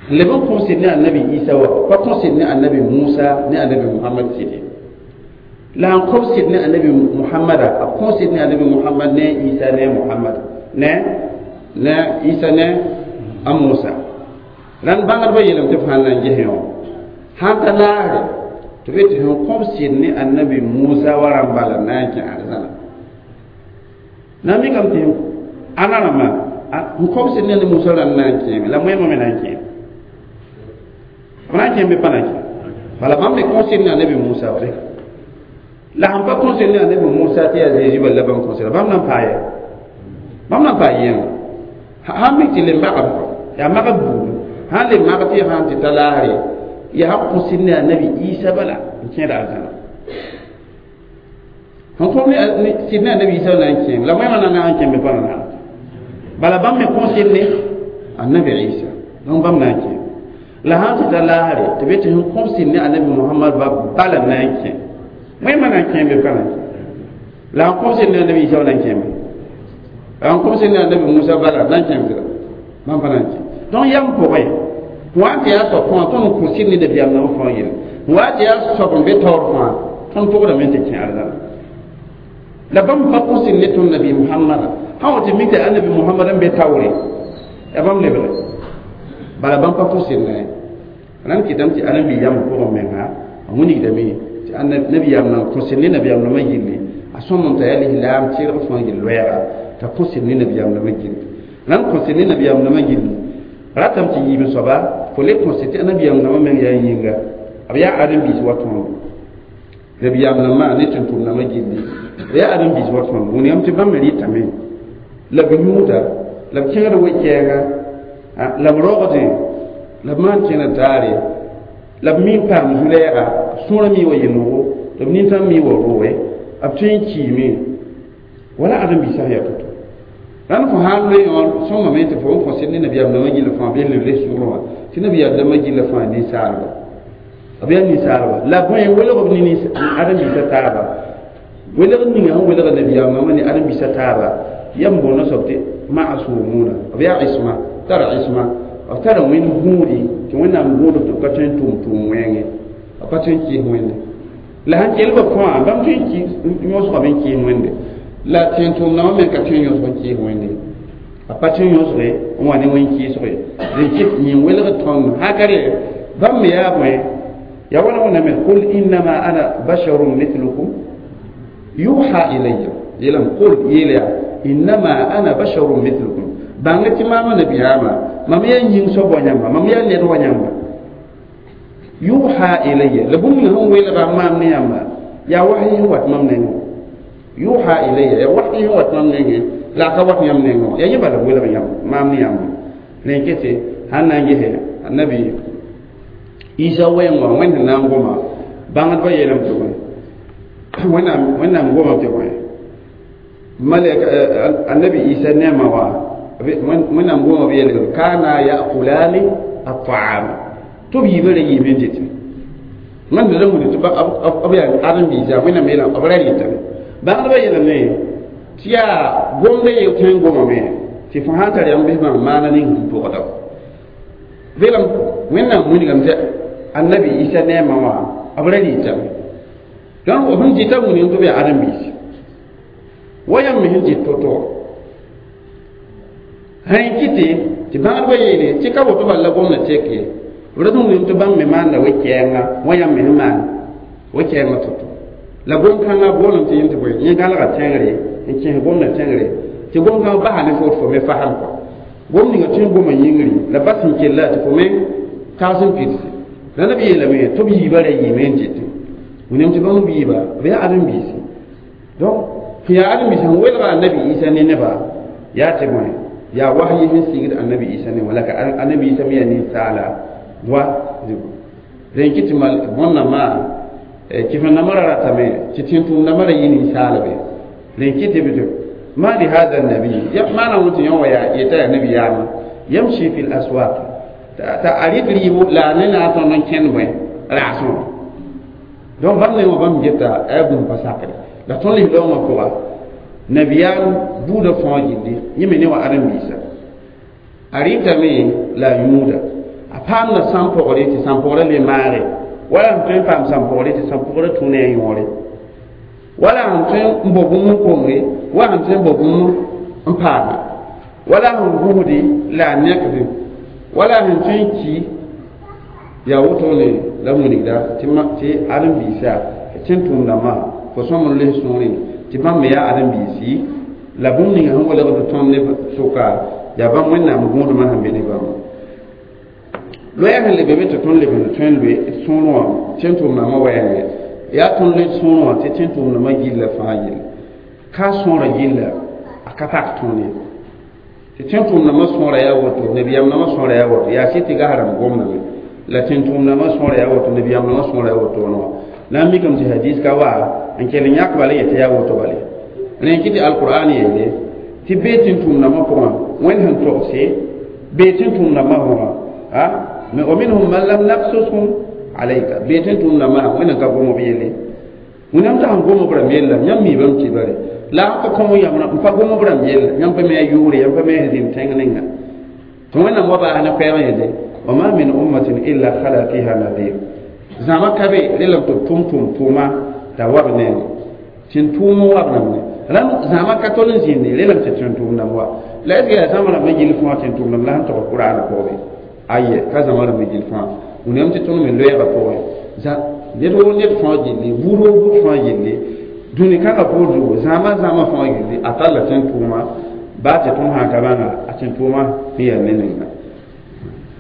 n leb n kõ sɩd ne annabi Isa wã b pa kõ sɩd ne annabi Musa ne annabi Muhammad sɩd ye la n kõb sɩd ne annabi Muhammada b kõ sɩd ne annabi Muhammad ne Isa ne Muhammad ne ne Isa ne a Musa rãnd bãngdbã yeelame tɩ b sãn na n ges wã sãn ta laasre tɩ b yetɩ sẽn kõb sɩd ne annabi Musa wa rãmb bala na n kẽ arzãna na n mikame tɩ ãna rãmbã n kõb sɩd ne annabi Musa rãmb na n kẽeme la moẽmã me na n kẽeme b na n kẽem bɩ pa na n kẽem bala bãmb me kõ sɩd ne annabi Musa wa la sãn pa kõ sɩd ne annabi Musa tɩ yaa Zeezi bal la bãmb kõ sɩda bãmb na n paa yɛ bãmb na n paa yẽnga sãn mik tɩ le magb yaa magb buudu sãn le mag tɩ sãn tɩ ta laasre yaa kõ sɩd ne annabi Isa bala n kẽeda arzãna sẽn kõ sɩd ne annabi Isa na n kẽem la moẽmã na na n kẽem bɩ pa na na bala bãmb me kõ sɩd ne annabi Isa donc bãmb na n kẽem la sãn tɩ ta laasre tɩ b yetɩ sẽn kõb sɩd ne annabi Muhammad ba bala na n kẽ moẽmã na n kẽem bɩ pa na n kẽ la sẽn kõb sɩd ne annabi Isa na n kẽem la sẽn kõb sɩd ne annabi Musa bala na n kẽem sɩda bãmb pa na n kẽ donc yam pʋgẽ wa tɩ yaa soab fãa tõnd n kõ sɩd ne nabiyaam nãmb fãa yelle wa tɩ yaa soab n be taoor fãa tõnd pʋgdame tɩ kẽ arzãna la bãmb pa kõ sɩd ne tõnd nabi Muhammada sã wa tɩ mik tɩ annabi Muhammad n be taoore yaa bãmb lebge bala bãmb pa kõ sɩd ne rãnd kɩtame tɩ ãdem-bi yam pʋgẽ menga a wilgdame tɩ nabiyaam nan kõ sɩd ne nabiyaam nãmã gilli a sõm n t'a yaa lislaam tɩrg fãa gill loɛɛga t'a kõ sɩd ne nabiyaam nãmã gilli rãnd kõ sɩd ne nabiyaam nãmã gilli ratame tɩ yiib n soaba fo le kõ sɩd tɩ nabiyaam nãmã meng yaa yĩnga b yaa ãdem-biis wa tõndo nabiyaam nãmbã ne tʋm-tʋm nãmbã gilli b yaa ãdem-biis wa tõndo wũnigame tɩ bãmb me rɩtame la b yũuda la b kẽngd we-kɛɛnga la b rogdẽ la b maan kẽna taare La b mi n paam zu-lɛɛga sõora mi wa yenogo tɩ b nintãm mi wa roe b tõe n kiime wala ãdem-biisã sẽn yaa to-to rãnd fo sã n loe yõ sõngame tɩ fo n kõ sɩd ne nabiyaam dãmbã gilla fãa b yel le sʋgrẽ wã tɩ nabiyaam dãmbã gilla fãa ninsaalba b yaa ninsaalba la bõe welg b ne ãdem-biisã taaba welg ninga sẽn welga nabiyaam dãmbã ne ãdem-biisã taaba yam boonda soab tɩ ma'sumuna b yaa isma tara isma b tara wẽnd gũudi tɩ wẽnnaam gũudb tɩ b ka tõe n tʋm tʋʋm wẽnge b ka tõe n kɩɩs wẽnde la sãn kell ba fãa bãmb tõe n yõsgame n kɩɩs wẽnde la tẽn-tʋʋmdãmbã me ka tõe n yõsg n kɩɩs wẽnde a pa tõe n yõsge n wa ne wẽn-kɩɩsge dẽn kɩt yĩn welg tõnd hakare bãmb me yaa bõe ya wala wẽnnaam qul innama ana basharun mithlukum yuha ilayya yeelame qul yeel yaa innama ana basharun mithlukum bãnga tɩ maama nabiyaamã mam yaa yĩng soab wa yãmba mam yaa ned wa yãmba yuha ilayya la bũmb ning sẽn welga maam ne yãmba yaa wahyi sẽn wat mam nengẽ yuha ilayya yaa wahyi sẽn wat mam nengẽ la a ka wat yãmb nengẽ wã yaa yẽ bala welg yãmb maam ne yãmba rẽn kete sãn na n gese annabi isa wɛɛng wã wẽnd sẽn na n goma bãngdbã yeelame tɩ bõe wẽnnaam wẽnnaam goma tɩ bõe malɛk annabi isa neema wã wẽnnaam goma b yeelame kana yakulani ataama tɩ b yiibã ra yiime n dɩtẽ wẽnd ra wilg tɩ b yaa ãdem-biisa wẽnnaam yeelame b ra rɩtame bãngdbã yeelame tɩ yaa gomda yel tõe n gomame tɩ fo sãn tar yãmb bɩs bãmb maana ning sẽn pʋgda veelem wẽnnaam wilgame tɩ annabi isa neemã wã b ra rɩtame donc b sẽn dɩta wilgame tɩ b yaa ãdem-biisi wa yãmb me sẽn dɩt to-to sã n kɩtɩ tɩ bãgdbã yeele tɩ ka woto bala la gomda tek ye b ra tɩ wilgame tɩ bãmb me maanda we-kɛɛngã wa yãmb me sẽn maan we-kɛɛngã to-to la gom-kãngã boolem tɩ yẽm tɩ bõe yẽ gãlga tẽngre n kẽes gomda tẽngre tɩ gom-kãngã basa ne fo tɩ fo me fasem kɔ gom ninga tõe n goma yĩngri la bas sẽn kella tɩ fo me tags n pidse la neb yeelame tɩ b yiibã ra yiime n dɩtẽ wẽnnaam tɩ bãmb b yiiba b yaa ãdem-biisi donc sẽn yaa ãdem-biisi sẽn welga annabi isa ne nebã yaa tɩ bõe yaa wahyi sẽn sigd annabi isa ne wã la ka annabi isa me yaa ninsaala wa rẽn kɩ tɩ mal bõn-nambã kɩf-nambã ra ratame tɩ tẽn-tʋʋmdãmbã ra yɩ ninsaalbe rẽn kɩ tɩ b ما لهذا النبي ما نوت يوم يا يتا النبي ياما يمشي في الأسواق تا أريد ريبو لا ننا تون كن بوي راسو donc bãmb ne wã bãmb geta a yaa bũmb pa sakre la tõnd lis-loongã pʋga nabiyaam buudã fãa gilli yẽ me ne wa ãdem-biisa a rɩtame la a yũuda a paamda sãn-pɔgre tɩ sãn-pɔgrã le maage wala sẽn tõe n paam sãn-pɔgre tɩ sãn-pɔgrã tũ ne a yõore wala sẽn tõe n bao bũmb n kongre wa sẽn tõe n bao bũmb n paama wala sẽn gũsdi la a nekde wala sẽn tõe n ki yaa wotone la wilgda tɩ ãdem-biisa tẽn-tʋʋmdãmbã fo sõm n les sõorẽ tɩ bãmb me yaa ãdem-biisi la bũmb ninga sẽn welgd tõnd ne sʋka yaa bãmb wẽnnaam gũudmã sẽn be ne bãmba loɛɛ sẽn lebe be tɩ tõnd leb n tõe n loe sõorẽ wã tẽn-tʋʋmdãmbã wɛɛngẽ yaa tõnd le sõorẽ wã tɩ tẽn-tʋʋmdãmbã gilla fãa yelle ka sõora gilla a ka pak tõnd ye tɩ tẽn-tʋʋmdãmbã sõora yaa woto nabiyaam-dãmbã sõora yaa woto yaa sɩ tɩ gas rãmb gomdame la tẽn-tʋʋmdãmbã sõora yaa woto nabiyaam-dãmbã sõora yaa woto wã la n mikame tɩ hadis ka wa n kell n yãk bala yetɩ yaa woto bale rẽn kɩ tɩ alqur'an yeele tɩ bee tẽn-tʋʋmdãmbã pʋgã wẽnd sẽn togse bee tẽn-tʋʋmdãmbã pʋgã a wa minhum man lam naqsushum alayka bee tẽn-tʋʋmdãmbã wẽnd n ka gom b yelle wẽnnaam t'a sẽn gom b rãmb yella yãmb mi bãmb tɩ bare la a ka kõ yãmb n pa gom b rãmb yella yãmb pa me a yʋʋre yãmb pa me a zĩnd tẽng ninga tɩ wẽnnaam wa baas ne koɛɛg yeele wa ma min ummatin illa khala fiha nadir zãma ka be relame tɩ b tʋm tʋm tʋʋma t'a wa b nengẽ tɩ n tʋʋm n wa b rãmb ne rãmb zãma ka tol n zĩndi relame tɩ tẽn-tʋʋmdãmb wa la est ce que yaa zãma rãmbã gill fãa tẽn-tʋʋmdãmb la sẽn tog kuraana pʋgẽ aye ka zãma rãmbã gill fãa wẽnnaam tɩ tõnd me loɛɛgã pʋgẽ ned woo ned fãa gilli buud woo buud fãa gilli dũni kãngã poor zugu zãma zãma fãa gilli a talla tẽn-tʋʋma baa tɩ tõnd sã ka bãnga a tẽn-tʋʋma sẽn yaa ne ninga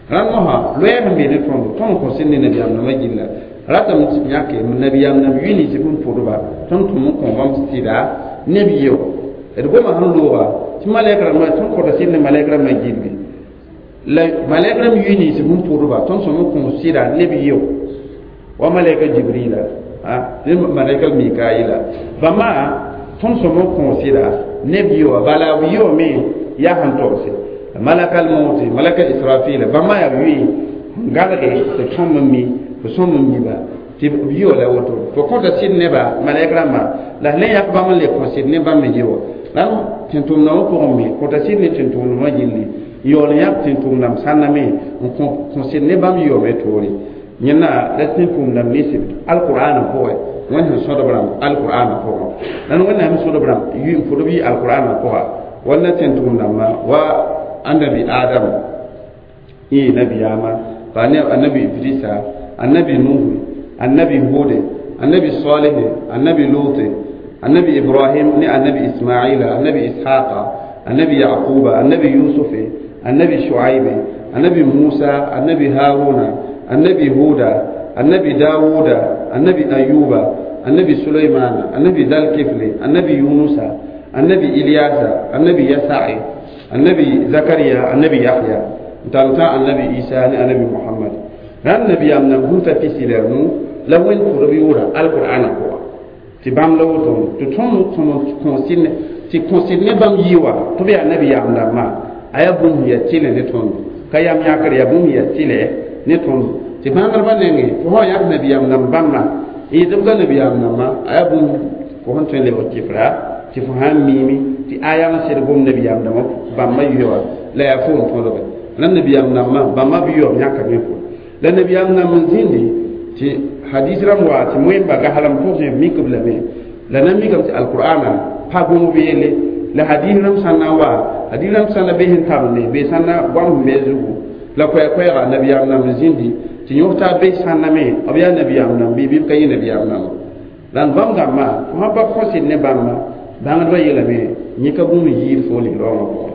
rãnd mosã loɛɛg sẽn be ne tõndo tõnd kõ sẽn ne nabiyaam nambã gilla ratame tɩ yãke nabiyaam nãmb yʋ nins bũmb pʋdba tõnd tʋm n kõ bãmb sɩda neb yeo d goma sẽn looga tɩ malɛk rãmbã tõnd kõta sɩd ne malɛk rãmbã gilli la malɛk rãmb yʋ nins bũmb pʋdba tõnd sõm n kõ sɩda neb yeo Wa malaika Jibrila, a ne malaika Mikaila, bãmba tõnd sõm n kõosɩda neb yɩ bala b yɩ yaa sẽn togse malakal mauti, malaka Israfila, bãmba yaa b yʋɩ n galge tɩ tõnd n mi tɩ sõm n miba tɩ b yɩ la woto. Fo kõta sɩd neba malɛk rãmba la le yak bãmb n le kõ sɩd ne bãmb me yɩ wa la tẽn-tʋmdãmbã pʋgẽ me kõta sɩd ne tẽn-tʋmdãmbã gilli yaool n yak tẽn-tʋmdãmb sãnna me n kõ sɩd ne bãmb yaoome toore. Yẽnda la tẽn-tʋmdãmb nins alqur'ana pʋgẽ Wẽnd sẽn sõdb rãmb alqur'ana pʋgẽ la Wẽnnaam sõdb rãmb n pʋdb yɩ alqur'ana pʋga walla tẽn-tʋmdãmbã wa annabi Adam yẽ nabiyaamã pa annabi Idrisa, annabi Nuhu, annabi Hude, annabi Salih, annabi Lut, annabi Ibrahim ne annabi Ismaila, annabi Ishaqa, annabi Yaquba, annabi Yusuf, annabi Shuaib, annabi Musa, annabi Haruna, annabi Huda, annabi Dawuda, annabi Ayuba, annabi Sulaiman, annabi Dalkifli, annabi Yunusa, annabi Ilyasa, annabi Yasa'i, annabi Zakariya, annabi Yahya, n tall annabi Isa ne annabi Muhammad. Rãnd nabiyaam nan gũsa pisi la nu la Wẽnd pʋdb yʋʋra alqur'ana pʋga tɩ bãmb la woto tɩ tõnd kõosɩd tɩ kõsɩd ne bãmb yɩ wa tɩ b yaa nabiyaam dãmbã a yaa bũmb sẽn yaa tɩlɛ ne tõndo ka yam yãkr yaa bũmb sẽn yaa tɩlɛ ne tõndo tɩ bãngdbã nengẽ fo sã yãk nabiyaam dãmb bãmba n yetɩ b ka nabiyaam dãmbã a yaa bũmb fo sẽn tõe n lebg kɩfra tɩ fo sã n miime tɩ aya n sed gom nabiyaam dãmbã bãmba yʋa wa la yaa fo n tõdge la nabiyaam dãmbã bãmba b yaoom yãkame fo la nabiyaam dãmb n zĩndi tɩ hadis rãmb wa tɩ moẽmba gaslem pʋgẽ mikb lame la na mikame tɩ alqur'ana pa gom b yelle la hadis rãmb sã n na n wa hadis rãmb sã na be sẽn tabende be sã na goam sẽn be zugu la koɛɛ-koɛɛga nabiyaam dãmb n zĩndi tɩ yõs-taab be sãnna me b yaa nabiyaam dãmb bɩ bɩ b ka yɩ nabiyaam dãmb la n bãmb dãmbã fo sã pa kõsɩd ne bãmba bãngdbã yeelame yẽ ka bũmb yiid fo ligd-raoongã pʋgẽ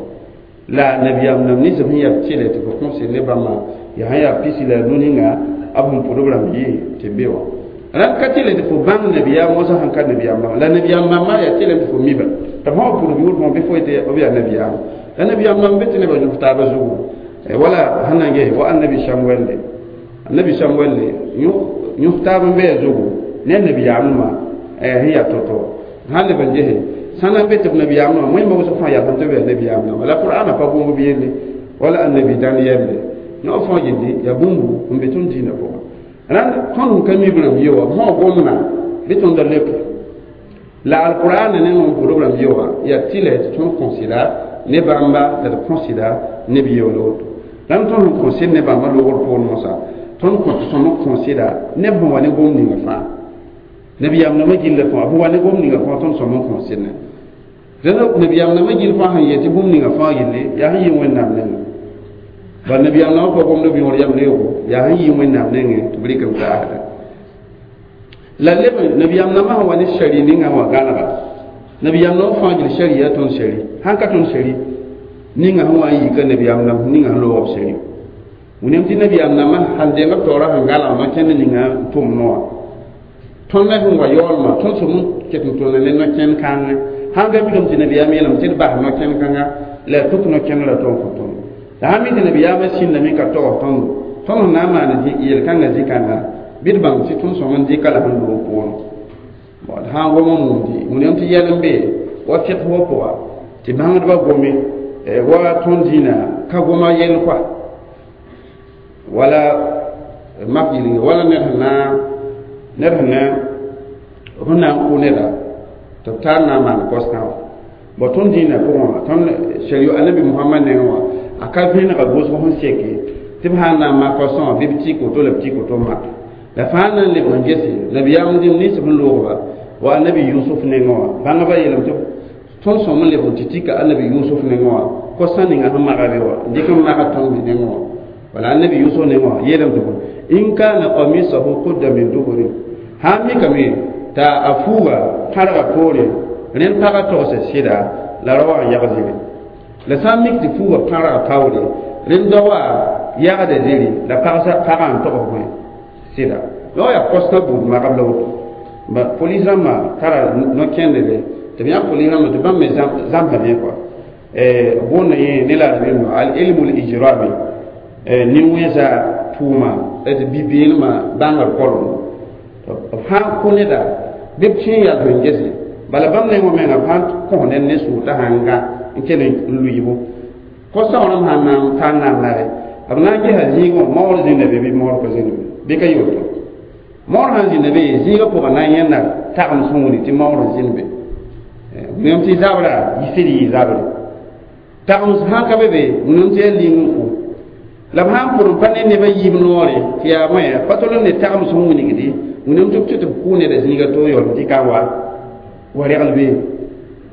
la nabiyaam dãmb nins sẽn yaa tɩlɛ tɩ fo kõsɩd ne bãmba yaa sẽn yaa pisi la nu ninga b sẽn pʋdb rãmb yɩ tɩ be wã rãnd ka tɩlɛ tɩ fo bãng nabiyaam wãsã sẽn ka nabiyaam bãmba la nabiyaam bãmba yaa tɩlɛm tɩ fo miba tɩ f sã wa pʋdb yʋʋr fõ bɩ fo yetɩ b yaa nabiyaam la nabiyaam bãmb be tɩ nebã yõs taabã zugu wala sẽn na n ges wa annabi Samuel le annabi Samuel le yõs taab n be a zugu ne nabiyaamdmã sẽn yaa to-to sãn leb n gese sã na n be tɩ b nabiyaamdmã wẽnda wʋsg fãa yaa tɩ b yaa nabiyaamdãmba la qur'ana pa bũmb b yelle wala annabi Daniel le yõ fãa gilli yaa bũmbu n be tõnd dĩinã pʋgã rãnd tõnd sẽn ka mi b rãmb ye wã b sã gomdã bɩ tõnd da leoke la alqur'ana ne n pʋdb rãmb ye wã yaa tɩlɛ tɩ tõnd kõsɩda ne bãmba la d kõsɩda neb yeool woto rãnd tõnd sẽn kõsɩd ne bãmba loogr poor mosã tõnd kõ tɩ tõnd kõsɩda neb sẽn wa ne gom ninga fãa nabiyaam nambã gilla fãa b wa ne gom ninga fãa tõnd sõm n kõsɩd ne rẽnd nabiyaam nambã gill fãa sẽn yet tɩ bũmb ninga fãa gilli yaa sẽn yɩ Wẽnnaam nengẽ bal nabiyaam nambã pa gomd b yõor yam reoogo yaa sẽn yɩ Wẽnnaam nengẽ tɩ b rɩk n taasda la leb nabiyaam nambã sẽn wa ne shari ninga wã gãnega nabiyaam nambã fãa gil shari yaa tõnd shari sãn ka tõnd shari ninga sẽn wa n yika nabiyaam nãmb ninga sẽn loog b shari wẽnem tɩ nabiyaam nambã sãn deng b taoorã sẽn gãlg no-kẽnd ninga n tʋm noa tõnd la sẽn wa yaoolmã tõnd sõm n ket n tʋmda ne no-kẽnd kãngẽ sãn ka mikame tɩ nabiyaam yeelame tɩ d bas no-kẽnd kãnga la a tuk no-kẽnd la tõnd kõ tõndo la sãn mi tɩ nabiyaamã sĩndame ka togs tõndo tõnd sẽn na n maan yel-kãngã zĩ-kãnga bɩ d bãng tɩ tõnd sõm n dɩka la sẽn loog poorẽ d sã n gom n mumdi wẽnem tɩ yɛl n be wa fiq wa pʋga tɩ bãngdbã gome wa tõnd dĩinã ka goma yell koa wala mak yɩlnge wala ned sẽn na ned sẽn na sẽn na n kʋ neda tɩ b tar na n maan kos-kã wã bõ tõnd dĩinã pʋgẽ wã tõnd shari annabi Mohamad nengẽ wã a ka vẽnega gʋsg sẽn seke tɩ b sã n na n mak kosã wã bɩ b tik woto la b tik woto n mak la fãa na n lebg n gese nabiyaam dĩm nins sẽn loogba wa annabi Yusuf nengẽ wã bãngba yeelame tɩ tõnd sõm n lebg tɩ tika annabi Yusuf nengẽ wã kosã ninga sẽn maga be wã n dɩk n maga tõnd me nengẽ wã wala annabi Yusuf nengẽ wã yeelame tɩ bõe in kana qamisahu qudda min duburin sã n mikame t'a a fuuga tãrga poore rẽnd pagã togsa sɩda la ra wa n yag ziri la sã n mik tɩ fuuga pãrga paoore rẽnd da wa yagda ziri la pagã n togs bõe sɩda la wa yaa kosã buud magb la woto ba polis rãmbã tara no-kẽndbe tɩ b yãk polis rãmbã tɩ bãmb me zãmsame kɔa boonda yẽ ne la arabɩ al ilmu l ijrami nin-wẽnsa tʋʋma tɩ bi-beelmã bãngr kolem B sãn kõ neda bɩ b kẽ yal n gese bala bãmb neng wã menga b sãn kõ ned ne sʋʋg t'a sãn gã n kell n lʋɩɩbo ko-saoorem sãn na n tar na n nare b na n gesa zĩigẽ maoor zĩnda be bɩ maoor ka zĩnda be bɩ ka yoto maoor sãn zĩnda be zĩigã pʋgã na n yẽnda tagem sẽn wuni tɩ maoor n zĩnd be wẽm tɩ zabra yisd yɩ zabre tagem sãn ka be be wẽnem tɩ yaa ling n kʋ la b sãn pʋd n pa ne nebã yiib noore tɩ yaa bõe pa tol n ne tagem sẽn wilgdi wẽnem tɩ b tɩ tɩ b kʋ neda zĩiga to yaool tɩ ka wa wa regl be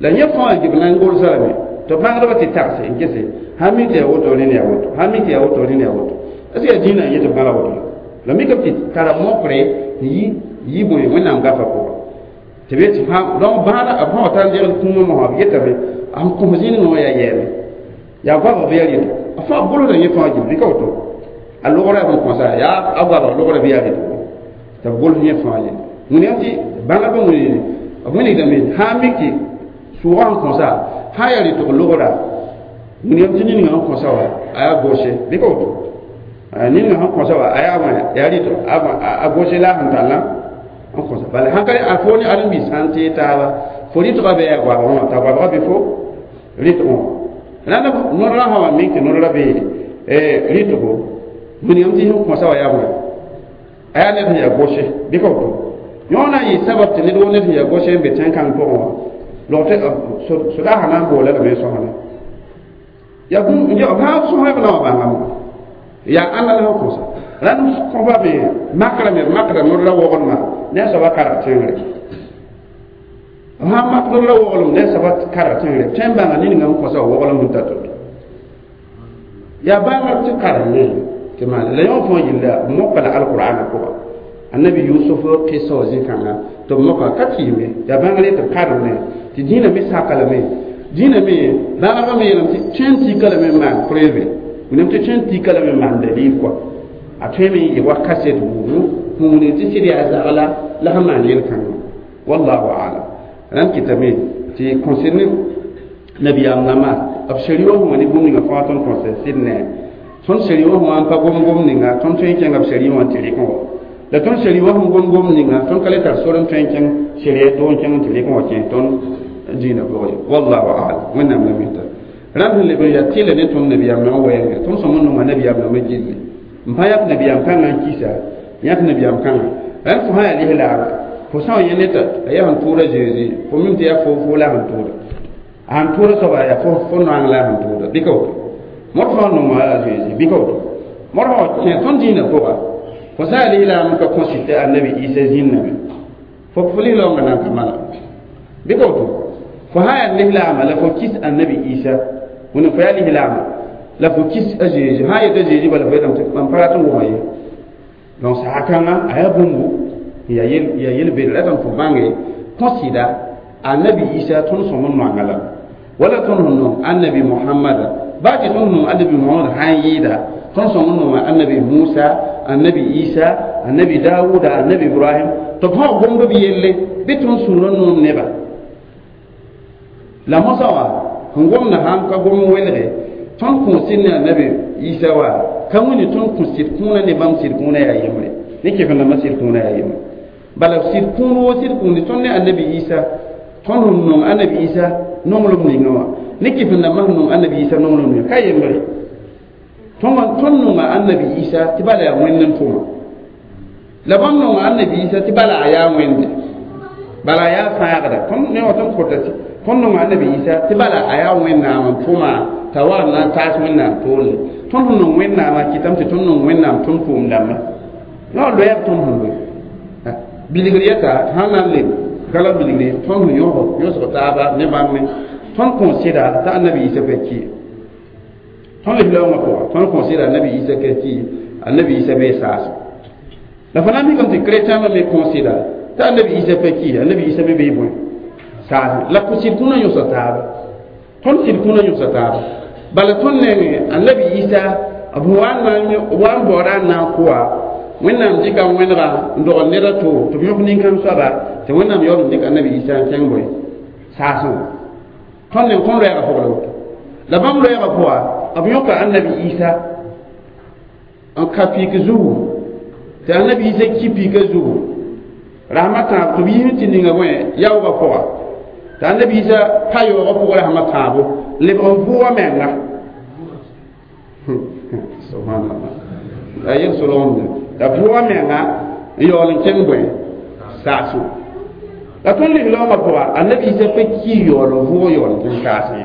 la yẽ fãa gib na n golsa lame tɩ b bãngdbã tɩ tagse n gese sãn mi tɩ yaa woto rẽnd yaa woto sãn mi tɩ yaa woto rẽnd yaa woto est ce que yaa dĩinã n yet b gãla woto la la mikame tɩ tara mokre n yi yi bõe wẽnnaam gafa pʋga tɩ be tɩ donc bãada b sã wa tar n degl kũumã mosã b yetame n kõs zĩnigã wã yaa yɛɛme yaa goabg bɩ yaa rɩto a fãa golsda yẽ fãa gil bɩ ka woto a logrã yaa bõn kõsa yaa a goabg logrã bɩ yaa rɩto tɩ b gols yẽ fãa yelle wẽnnaam tɩ bãngdbã wẽne b wilgdame sã n mik tɩ sʋʋgã sẽn kõsa sã yaa rɩtg logra wẽnnaam tɩ niningã sẽn kõsa wa a yaa goshe bɩ ka woto niningã sẽn kõsa wa a yaa wã yaa rɩtg a goshe la a sẽn tallã n kõsa bala sãn ka a fo ne ãdem-biis sã n tee taaba fo rɩtgã bɩ yaa goabgã wã t'a goabgã bɩ fo rɩtg wã rãnd nodrã sã wa mik tɩ nodrã be rɩtgo wẽnnaam tɩ sẽn kõsa wa yaa bõe a yaa ned sẽn yaa goshe bɩ ka woto yõ na n yɩ sabab tɩ ned wo ned sẽn yaa goshe n be tẽn-kãng pʋgẽ wã log tɩ soda sã na n boola lame sõsna yaa b sã sõsb la wã bãngame yaa ãnna la sẽn kõsa rãnd kõfa me makra me makra nodrã woglmã ne a soaba karg tẽngre b sãn mak nodrã woglem ne a soaba karg tẽngre b tõe n bãnga niningã sẽn kõsa wa woglem sẽn ta to-to yaa bãngr tɩ karem tɩ maan la yõ fãa yella b moka la alqur'ana pʋga annabi yusuf qissa wa zĩ-kãnga tɩ b moka ka kɩɩme yaa bãngr tɩ b karemne tɩ dĩinã me saka lame dĩinã me bãngrbã me yeelame tɩ tõe n tika lame n maan preuve wẽnnaam tɩ tõe n tika lame n maan dalil kɔa a tõe me n yɩ wa kaset buudu sẽn wilg tɩ sɩd yaa zagla la sẽn maan yel-kãngã wallahu alam rãnd kɩtame tɩ concerne nabiyaam nãma b shari wã sẽn wa ne bũmb ninga fãa tõnd kõse sɩd ne tõnd shari wã sẽn wa n pa gom gom ninga tõnd tõe n kẽnga b shari wã n tɩ rɩk wã la tõnd shari wã sẽn gom gom ninga tõnd ka le tar sor n tõe n kẽng sharia to n kẽng n tɩ rɩk wã kẽ tõnd dĩinã pʋgẽ ye wallahu alam wẽnnaam la mita rãnd sẽn leb n yaa tɩlɛ ne tõnd nabiyaam nãma wɛɛngã tõnd sõm n nonga nabiyaam nãma gilli n pa yãk nabiyaam kãngã n kisa yãk nabiyaam kãngã rãnd fo sã yaa lislaam fo sã n yẽ ned a yaa sẽn tʋʋda zeezi fo mim tɩ yaa fo fo la sẽn tʋʋda a sẽn tʋʋda soaba yaa fo fo noang la sẽn tʋʋda bɩ ka woto mod fãa nonga a zeezi bɩ ka woto mod fãa kẽ tõnd dĩinã pʋga fo sã yaa lislaam ka kõsɩ tɩ annabi isa zĩnname fo fo lislaoongã nan ka mana bɩ ka woto fo sã yaa lislaama la fo kis annabi isa wẽnnaam fo yaa lislaama la fo kis a zeezi sã yeta zeezi bala fo yetame tɩ mam pa rat n wʋma ye donc saha-kãngã a yaa bũmbu yaa yel-bed ratame fo bãnge kõsɩda annabi isa tõnd sõm n noanga lame wala tõnd sẽn nong annabi mohamada baa tɩ tõnd nong annabi mohamad sã n yɩɩda tõnd sõm n nonga annabi musa annabi isa annabi dawuda annabi ibrahim tɩ b fãa gomd b yelle bɩ tõnd sũurã noom neba la mosã wã sẽn gomda sãn ka gom n welge tõnd kõ sɩd ne annabi isa wa ka wẽne tõnd kõ sɩd kũunã ne bãmb sɩd kũunã yaa yembre ne kɩf rãmbã sɩd kũunã yaa yembre bala sɩd kũun woo sɩd kũuni tõnd ne annabi isa tõnd sẽn nong annabi isa nonglem ninga wã ne kɩf rãmbã sẽn nong annabi isa nonglem ninga ka yembre tõnd nonga annabi isa tɩ bala yaa wẽnd n tʋma la bãmb nonga annabi isa tɩ bala a yaa wẽnde bala a yaa fãagda tõnd ne wa tõnd kota tɩ tõnd nonga annabi isa tɩ bala a yaa wẽnnaam n tʋma t'a wa n na n taas wẽnnaam toore tõnd sẽn nong wẽnnaamã kɩtame tɩ tõnd nong wẽnnaam tõnd pʋʋm dãmba la loɛɛb tõnd sẽn loe bilgr yɛta sãn na n leb gala bilgre tõnd sẽn yõsg yõsg taaba ne bãmb me tõnd kõn sɩda t'a annabi isa pa ki tõnd lislaoongã pʋga tõnd kõn sɩda annabi isa ka ki annabi isa bee saas la fo na n mikame tɩ chrétien me kõn sɩda t'a annabi isa pa ki annabi isa me bee bõe saas la sɩd kũnã yõsa taaba tõnd sɩd kũnã yõsa taaba bala tõnd nenge annabi isa b wa n wa n baooda n na n kʋa wẽnnaam dɩka wẽnega n dogl ned a to tɩ b yõk nin-kãng soaba tɩ wẽnnaam yaool n dɩk annabi isa n kẽng bõe saasẽ tõnd neng tõnd loɛɛgã pʋg la woto la bãmb loɛɛgã pʋga b yõka annabi isa n ka pik zugu tɩ annabi isa ki pika zugu Rasmã tãab tɩ b yiime tɩ ninga bõe yaoogã pʋga t'a annabi Isa pa yaoogã pʋgã rasmã tãabo lebg n vʋʋga menga subhanallah la yel solgmde la vʋʋga menga n yaool n kẽng bõe saasẽ la tõnd lig-laoongã pʋga annabi Isa pa ki yaool n vʋʋg yaool n kẽng saasẽ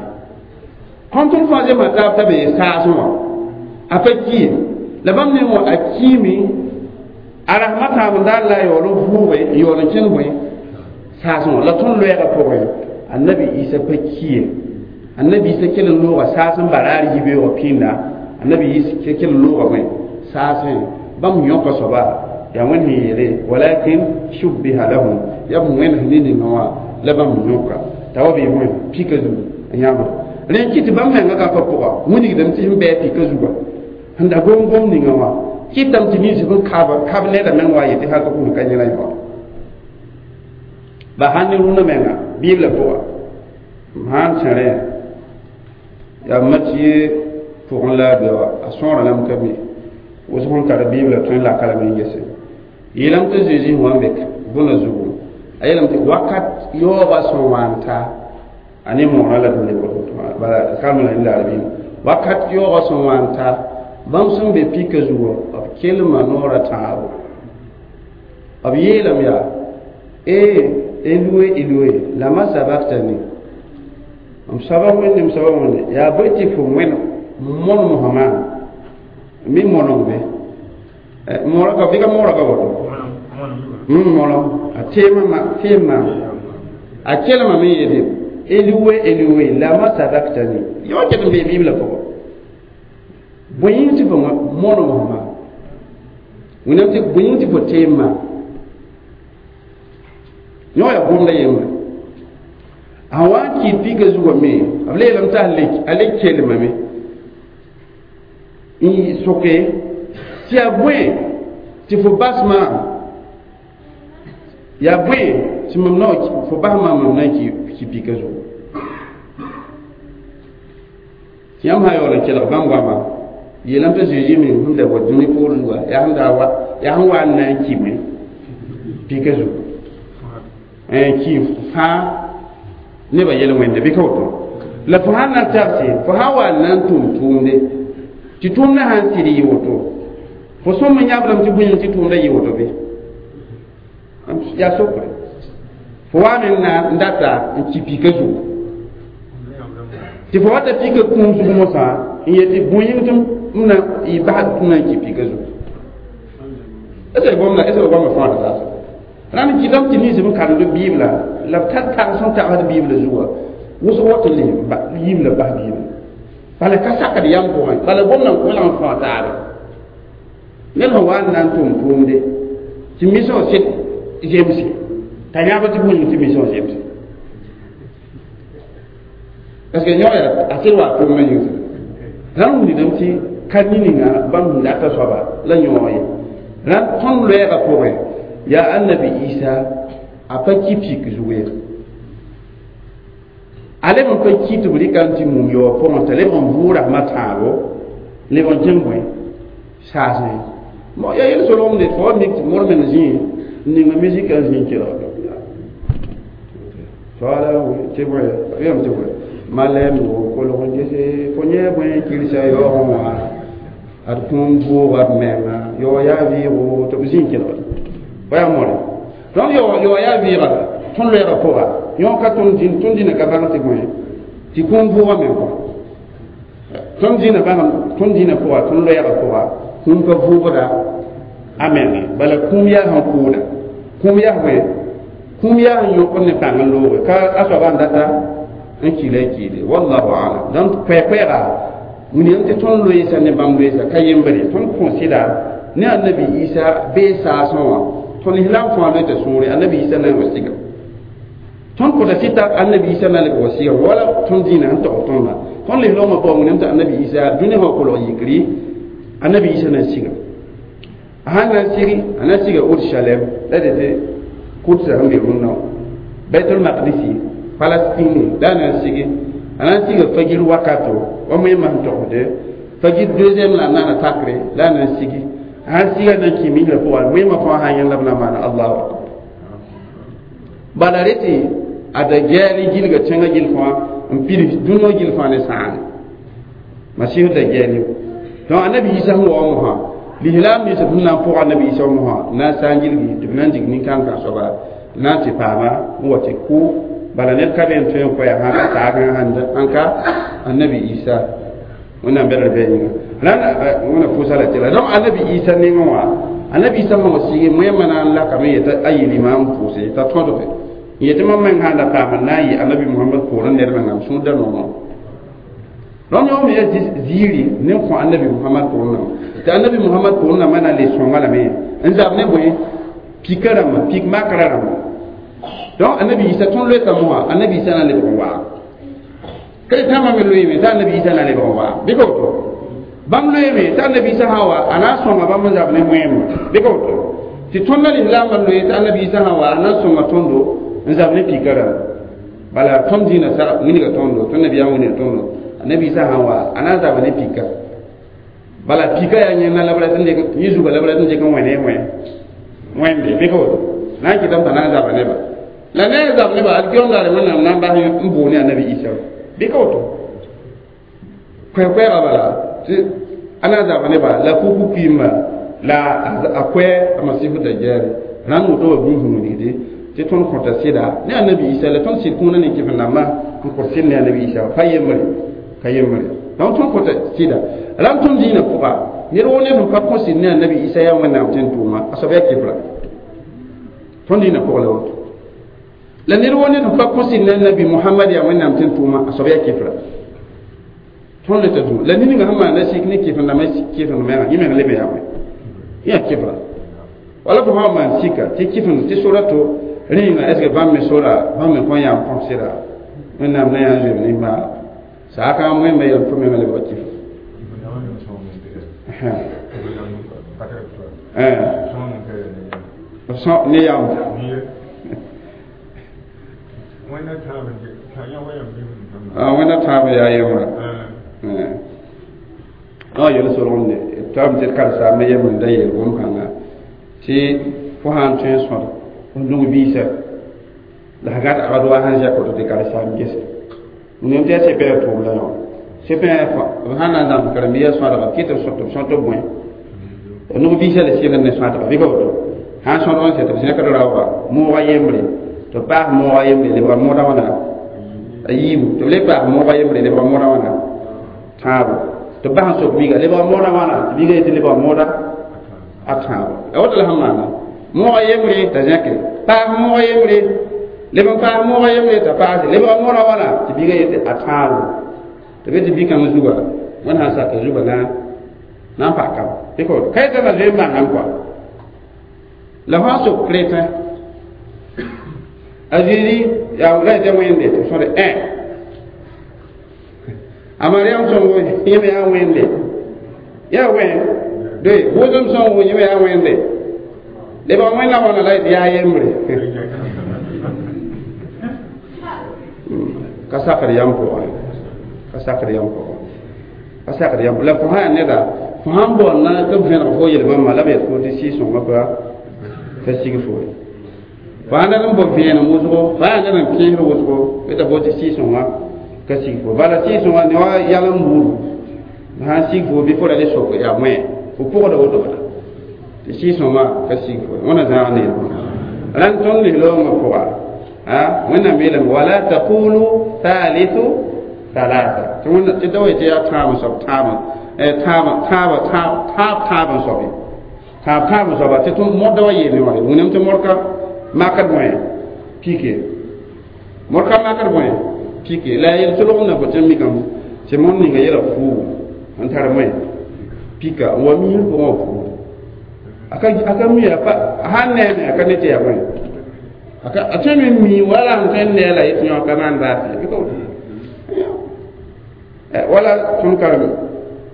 kõn tõnd fãa zemsã taab t'a be saasẽ wã a pa ki ye la bãmb neng wã a kiime a rasmã tãab n daar la a yaool n vʋʋge n yaool n kẽng bõe saasẽ wã la tõnd loɛɛgã pʋgẽ annabi Isa pa ki ye annabi Isa kell n looga saas n baraar yibeoogã pĩnda annabi Isa kell n looga bõe saasẽ bãmb yõka soaba yaa wẽnd sẽn yeele walakin shubbiha lahum yaa b wẽns ne ninga wã la bãmb yõka t'a wa bee bõe pika zugu n yãbd rẽ kɩ tɩ bãmb menga ka pa pʋga wilgdame tɩ sẽn bɩ pika zuga sẽn da gom-gom ninga wã kɩtame tɩ nins sẽn kab kab neda meng wa yetɩ hal ka kũm ka yẽla yõ ba sãn ne rũndã menga biblã pʋga m sãn sẽre yaa Matthieu pʋgẽ la a be wa a sõora lame ka mi wʋsg n tar biblã tõe n laka lame n gese yeelame tɩ Zeezi sẽn wa n be bõna zugu a yeelame tɩ wakat yaoogã sẽn wa n ta a ne moorã la d lebg bala kalem la la arabɩ wakat yaoogã sẽn wa n ta bãmb sẽn be pika zugu b kelma noorã tãabo b yeelame yaa ee Eloe Eloe lama sabaktani m soaba wẽnde m soaba wẽnde yaa bõe tɩ fo wẽn monem fãmã mi monong be moora ka bɩ ka moora ka woto molong a teemã teem a kelmame yeele Eloe Eloe lama sabaktani yõ ket n bee biblã pʋgã bõe yĩng tɩ fo monem fãmã wẽnnaam tɩ bõe yĩng tɩ fo teem-ma yõ yaa gomda yembre a wa n kɩɩd pika zugã me b leelame tɩ a le kelmame n soke tɩ yaa bõe tɩ fo bas maam yaa bõe tɩ mam na fo bas maam mam na n ki pika zugu tɩ yãmb sã yaool n kelg bãmb goama yeelame tɩ Zeezi meng sẽn da wa dũni poor zuga yaa sẽn daa wa yaa sẽn wa n na n kime pika zugu n ki fãa nebã yel wẽnde bɩ ka woto la fo sãn na n tagse fo sã wa n na n tʋm tʋʋmde tɩ tʋʋmdã sã n sɩd yɩ woto fo sõm n yãbdame tɩ bõe tɩ tʋʋmdã yɩ woto bɩ yaa sokre fo wa meng na n data n ki pika zugu tɩ fo wata pika kũum zug mosã n yetɩ bõe yĩng tɩ m na y basd tɩ m na n ki pika zugu est ce gomda est ce que gomda fãa taasa rãnd kɩtame tɩ nins b karemd biibla la b tar tags sẽn tagsd biibla zugã wʋsg wat n yim la bas biibla bala ka sakd yam pʋgẽ bala gomda n kolg n fãa taabe ned sẽn wa n na n tʋm tʋʋmde tɩ mission sɩd zemse t'a yãb tɩ bũmb tɩ mission zemse parce que yõ yaa a sɩd wa tʋʋmã yĩng rãnd wilgdame tɩ ka ninga bãmb sẽn data soaba la yõog ye rãnd tõnd loɛɛgã pʋgẽ yaa annabi Isa a pa ki pik zugu ye a leb n pa ki tɩ b rɩka n tɩ mum yaoog pʋgẽ t'a leb n vʋʋg rasmã tãabo leb n kẽng bõe saasẽ yaa yel solgmde fo wa mik tɩ mor meng zĩig n ninga misika n zĩig kelg soaala tɩ bõe yam tɩ bõe malɛm wo kolg n gese fo yẽ bõe kirsa yaoogẽ wã ad kũum vʋʋga d menga yaoog yaa vɩɩgo tɩ b zĩig kelgd pa yaa more donc yaoog yaa vɩɩga tõnd loɛɛgã pʋga yõ ka tõnd dĩn tõnd dĩnã ka bãng tɩ bõe tɩ kũum vʋʋga meng kɔ tõnd dĩnã bãng tõnd dĩnã pʋga tõnd loɛɛgã pʋga kũum ka vʋʋgda a menge bala kũum yaa sẽn kʋʋda kũum yaa bõe kũum yaa sẽn yõkd ne pãng n looge ka a soaba n data n kila n kiile wallahu alam donc koɛɛ-koɛɛga wilgame tɩ tõnd loeesa ne bãmb loeesa ka yembre tõnd kõ sɩda ne annabi Isa bee saasẽ wã tõnd islam fãa loe tɩ sũure annabi Isa na n wa siga tõnd kõta sɩta annabi Isa na leb wa siga wala tõnd dĩinã sẽn tog tõnda tõnd lislaoongã pʋgã wilgame tɩ annabi Isa dũni sã kolg yikri annabi Isa na n siga a sãn na n sigi a na n siga Urushalem la d tɩ Kudsa sẽn be rũnnã Baitul Maqdisi Palestine la a na n sigi a na n siga fagir wakato wa moẽmã sẽn togsde fagir deuxième la a naana takre la a na n sigi a sãn siga na n kĩ misrã pʋga moẽmã fãa sã yẽn la b na n maana allahu akbar Bala rete a da gɛɛli gilga tẽngã gill fãa n pids dũniyã gill fãa ne sãane masihu da gɛɛli donc annabi isa sẽn wa mosã lislaam nins b sẽn na n pʋg annabi isa mosã na n sã n gilgi tɩ b na n dig nin-kãngã soaba na n tɩ paama n wa tɩ kʋ bala ned ka be n tõe n koɛɛ sã ka saag sãn ka annabi isa wẽnnaam bɛdr bɩ yĩnga wẽna pʋʋsa la tɩla donc annabi isa nengẽ wã annabi isa sẽn wa sigi moẽmã na n lakame yetã a yɩl imaam pʋʋse t'a tõdge n yetɩ mam meng sã n da paam n na n yɩ annabi mohamad poorẽ ned mengã m sũur da noogã donc yõ me ya ziiri ne n kõ annabi mohamad poorẽ tɩ annabi mohamad poorẽ rãmbã na n le sõnga lame n zab ne bõe pika rãmbã pik makra rãmbã donc annabi isa tõnd loeeka mosã annabi isa na n lebg n waag ka tãmbã me loeeme t'a annabi isa na n lebg n waag bɩ ka woto bãmb loeeme t'a annabi isa sã n wa a na n sõnga bãmb n zab ne moẽmba bɩ ka woto tɩ tõnd la lislaambã loe t'a annabi isa sã n wa a na n sõnga tõndo n zab ne pika rãmba bala tõnd dĩinã sag wilga tõndo tõnd nabiyaam wilga tõndo annabi isa sã n wa a na n zaba ne pika bala pika yaa yẽnda la b rat n dɩk yẽ zuga la b rat n dɩk n wẽ ne wẽ wẽnde bɩ ka woto na n kɩtame t'a na n zaba neba la ne a zab neba alkiyom daare wẽnnaam na n bas n boone annabi isa bɩ ka woto koɛɛ-koɛɛga bala tɩ a na n zaba neba la kuku kuiimba la a koɛ a masifu dajjal rãnd woto wa bĩs wilgde tɩ tõnd kõta sɩda ne annabi isa la tõnd sɩd kũuna ne kɩf-rãmbã n kõt sɩd ne annabi isa pa yembre ka yembre donc tõnd kõta sɩda rãmb tõnd dĩinã pʋga ned woo ned sẽn pa kõ sɩd ne annabi isa yaa wẽnnaam tɩ n tʋʋma a soab yaa kɩfra tõnd dĩinã pʋg la woto la ned woo ned sẽn pa kõ sɩd ne annabi mohamad yaa wẽnnaam tɩ n tʋʋma a soab yaa kɩfra tõnd le t'a dũma la ninga sẽn maanda sik ne kɩf-rãmbã kɩf-rãmbã yẽ meng leb yaa wẽ yã kɩfra wala fo sã n maan sika tɩ kɩf tɩ sora to rẽenga est ce que bãmb me sora bãmb me kõn yaa n põs sɩda wẽnnaam na yaa n zoeem nimbãaga saaka wẽmba yel fo menga lebga kɩf ne yam wẽnna tãab yaa yembra a yel solgende tam tɩ d karsaambã yembr da yeel bũmb-kãnga tɩ fo sã n tõe n sõd f nug biisa la f gat agd wa sãn zɛk woto tɩ karsaam gese nem tɩ yaa sẽpɛ tʋʋm la yõ sẽpɛ b sãn na n zãms karen-biisã sõadga b kɩt b sõt b sõt b bõe nug biisã la sɩgd ne sõadga bɩ ka woto sãn sõdg n sɛ tɩ b zẽkd raooga moogã yembre tɩ b paas moogã yembre lebga moodã wãna a yiibu tɩ b le paas moogã yembre lebga moodã wãna tãabo tɩ b bas n sok biiga lebga moodã wãna tɩ biiga yetɩ lebga mooda a tãabo a woto la sẽn maana moogã yembre t'a zẽke paas moogã yembre leb n paas moogã yembre t'a paase lebga moodã wãna tɩ biiga yetɩ a tãabo tɩ be tɩ bi-kãng zuga wẽnd sãn saka zuga na na n pakam ka yetã la zoe n bãngame kɔa la fãa sok chrétien a Zezi yaa la yetɩ wẽnde tɩ b sõde ẽ a Mariam sõngo yẽ me yaa wẽnde yaa wẽ doe wʋsem sõngo yẽ me yaa wẽnde lebg wẽnna wãna la yetɩ yaa yembre ka sakd yam pʋgẽ ka sakd yam pʋgẽ ka sakd yam la fo sã yaa neda fo sãn baood na tɩ b vẽneg fo yel-bãmba la b yet fo tɩ sɩɩ-sõngã pa ka sig fo ye fo sãn dat n bao vẽenem wʋsgo fo yaa ned n pẽesd wʋsgo yeta fo tɩ sɩɩ-sõngã ka sig fo bala sɩɩ-sõngã ne wa yalem buudu sãn sig fo bɩ fo ra le sok yaa wẽ fo pʋgda woto bala tɩ sɩɩ-sõngã ka sig fo wẽna zãag ne rãnd tõnd lislaoongã pʋga wẽnnaam yeelame wala taqulu thalithu thalatha tɩ tɩ da wa yetɩ yaa tãab n soab tãab tãab tãab tãab tãab n soab ye tãab tãab n soaba tɩ tõnd modda wa yeelme wã wĩnam tɩ modka makd bõe pike modka makd bõe pike la a yel-solg na fo tɩ n mikame tɩ mõnd ninga yɛla fuugu n tar bõe pika n wa miisr pʋgẽ wã fuugu a ka mi a sãn neeme a ka ne tɩ yaa bõe a tõe me mi wala sẽn tõe n nee la yetɩ yõ ka maan baas ye bɩ ka woto wala tõnd karem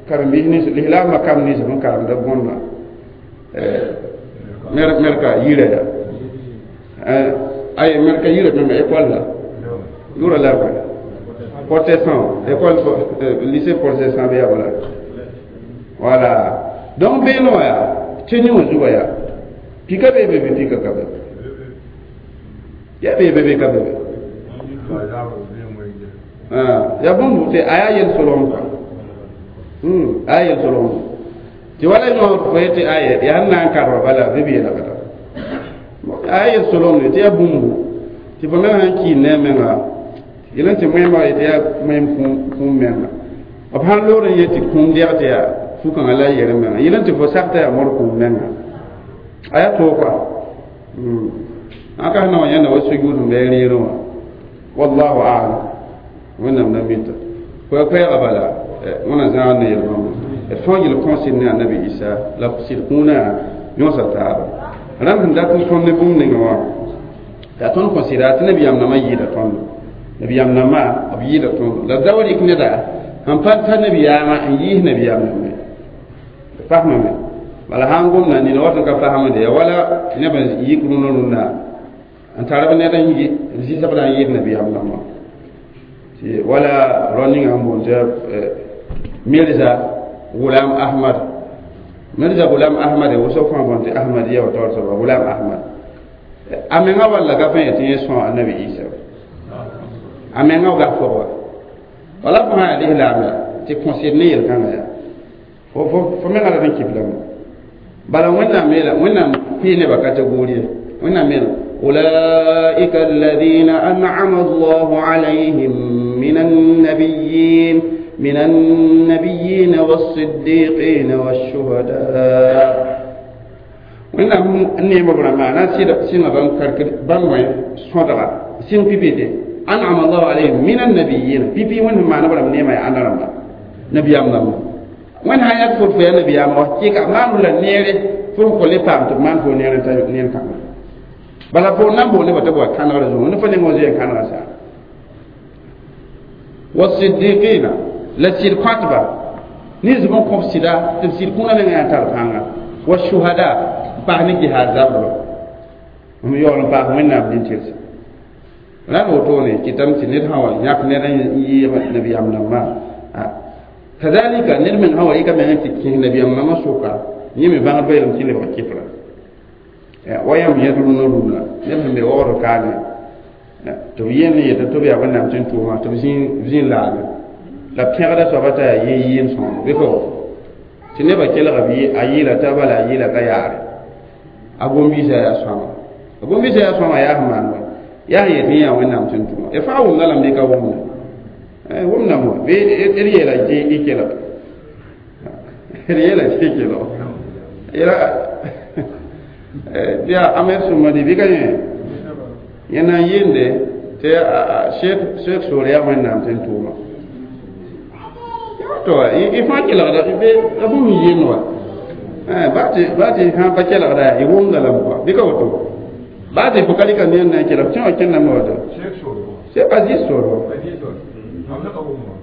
karen-biis nins lislaambã kam nins sẽn karemda bõndã merka yira ya ay merka yira tõme école la yʋra la bõe protestant école lycée protestant bɩ yaa bala voilà donc beene wã yaa tɩ yẽ wã zuga yaa pika bee be bɩ pika ka be Ya be be be ka be ah ya bũmb tɩ a yaa yel-solgem kɔa a yaa yel-solgem tɩ wala yõ fo yetɩ aya yaa n na n karba bala bɩ b yeelgda a yaa yel-solgemde tɩ yaa bũmbu tɩ fo meng sãn kiin ne a menga yel n tɩ moẽmba yetɩ yaa moẽm kũum menga b sãn loor n yet tɩ kũum dɛg tɩ yaa fu-kãngã la yer menga yel n tɩ fo sak t'a yaa mod kũum menga a yaa toog kɔa ãn ka sẽn na wa yãnda wa sujud sẽn bɩ rẽerẽ wã wallahu a'lam wẽnnaam na mita koɛɛ-koɛɛgã bala wẽna zãag ne yel-bãmba d fãa yel kõsɩd ne annabi isa la sɩd kũunã yõsa taaba rãmb sẽn dat n tõnd ne bũmb ninga wã t'a tõnd kõ sɩda tɩ nabiyaam nãmã yɩɩda tõndo nabiyaam nãmbã b yɩɩda tõndo la da wa rɩk neda sẽn pa tar nabiyaamã n yiis nabiyaam nãmbẽ fasmame bala sã n gomda nina wat n ka fasamde ya wala neb n yik rũnã rũndã n tar b ned n zɩsgda n yɩɩd nabiyaam nãmbã tɩ wala rao ninga sẽn boond tɩ mirza gulam ahmad mirza gulam ahmad wʋsg fãa boond tɩ ahmadiya wa taoor soaba gulam ahmad a menga walla ka fã yetɩ yẽ sõa annabi isa a menga gas pʋgba wala fo sã yaa lislaam ya tɩ kõsɩd ne yel-kãngã yaa fo fo menga rat n kɩblame bala wẽnnaam yeela wẽnnaam pɩɩ nebã kategori wẽnnaam yeela أولئك الذين أنعم الله عليهم من النبيين من النبيين والصديقين والشهداء wẽnnaam neemb rãmbã na sɩnga bãmb kark bãmb wẽ sõdga sɩng pipi tɩ an'ama allahu alayhim min annabiyin pipi wẽnd sẽn maan b rãmb neemã yaa ãnda rãmba nabiyaam rãmba wẽnd sã yãk fot fo yaa nabiyaam wa kɩka maan la neere fo n kõ le paam tɩ b maan fo neer n ta neer kãnga bala fo nan boone ba tɩ b wa kãnegrã zugu ne fo neng wã zoe n kãnega saa wasiddiqina la sɩd kõtba nins b n kõb sɩda tɩ b sɩd kũunã menga yaa tar pãnga washuhada n paas ne jihaad zabrã m yaool n paas wẽnnaam nin-tɩrse la wotone kɩtame tɩ ned sã wa yãk ned n yɩɩg nabiyaam nambã kazalika ned meng sã wa yɩka meng n tɩ kẽes nabiyaam nambã sʋka yẽ me bãngdbã yeelame tɩ lebg kɩfra wa yãmb yẽd rũnã rũnã neb sẽn be waoogd kaane tɩ b yẽnd n yeta tɩ b yaa wẽnnaam tɩ n tʋʋmã tɩ b zĩ laame la pẽgda soaba t'a yaa yẽ yɩɩm sõogo bɩ ka woto tɩ nebã kelga b a yɩɩla t'a bala a yɩɩla ka yaare a gom-biisã yaa sõama a gom-biisã yaa sõama yaa sẽn maan wa yaa sẽn yet yẽ yaa wẽnnaam tɩ n tʋma y fãa wʋmda lame bɩ ka wʋmda wʋmdame wa bɩ d yeela tɩ y kelg d yeela tɩ y kelg yela tɩ yaa amed sũmadi bɩ ka yẽ yẽ na n yɩɩnde tɩ sheek soor yaa wẽnnaam tɩ n tʋʋma to y fãa kelgda b bũmb n yɩɩnd wa baa tɩ sã pa kelgda y wʋmda lame kɔa bɩ ka woto baa tɩ fo ka rɩka neer na n kelg tẽ wã kẽndame woto sheek aziz soor wa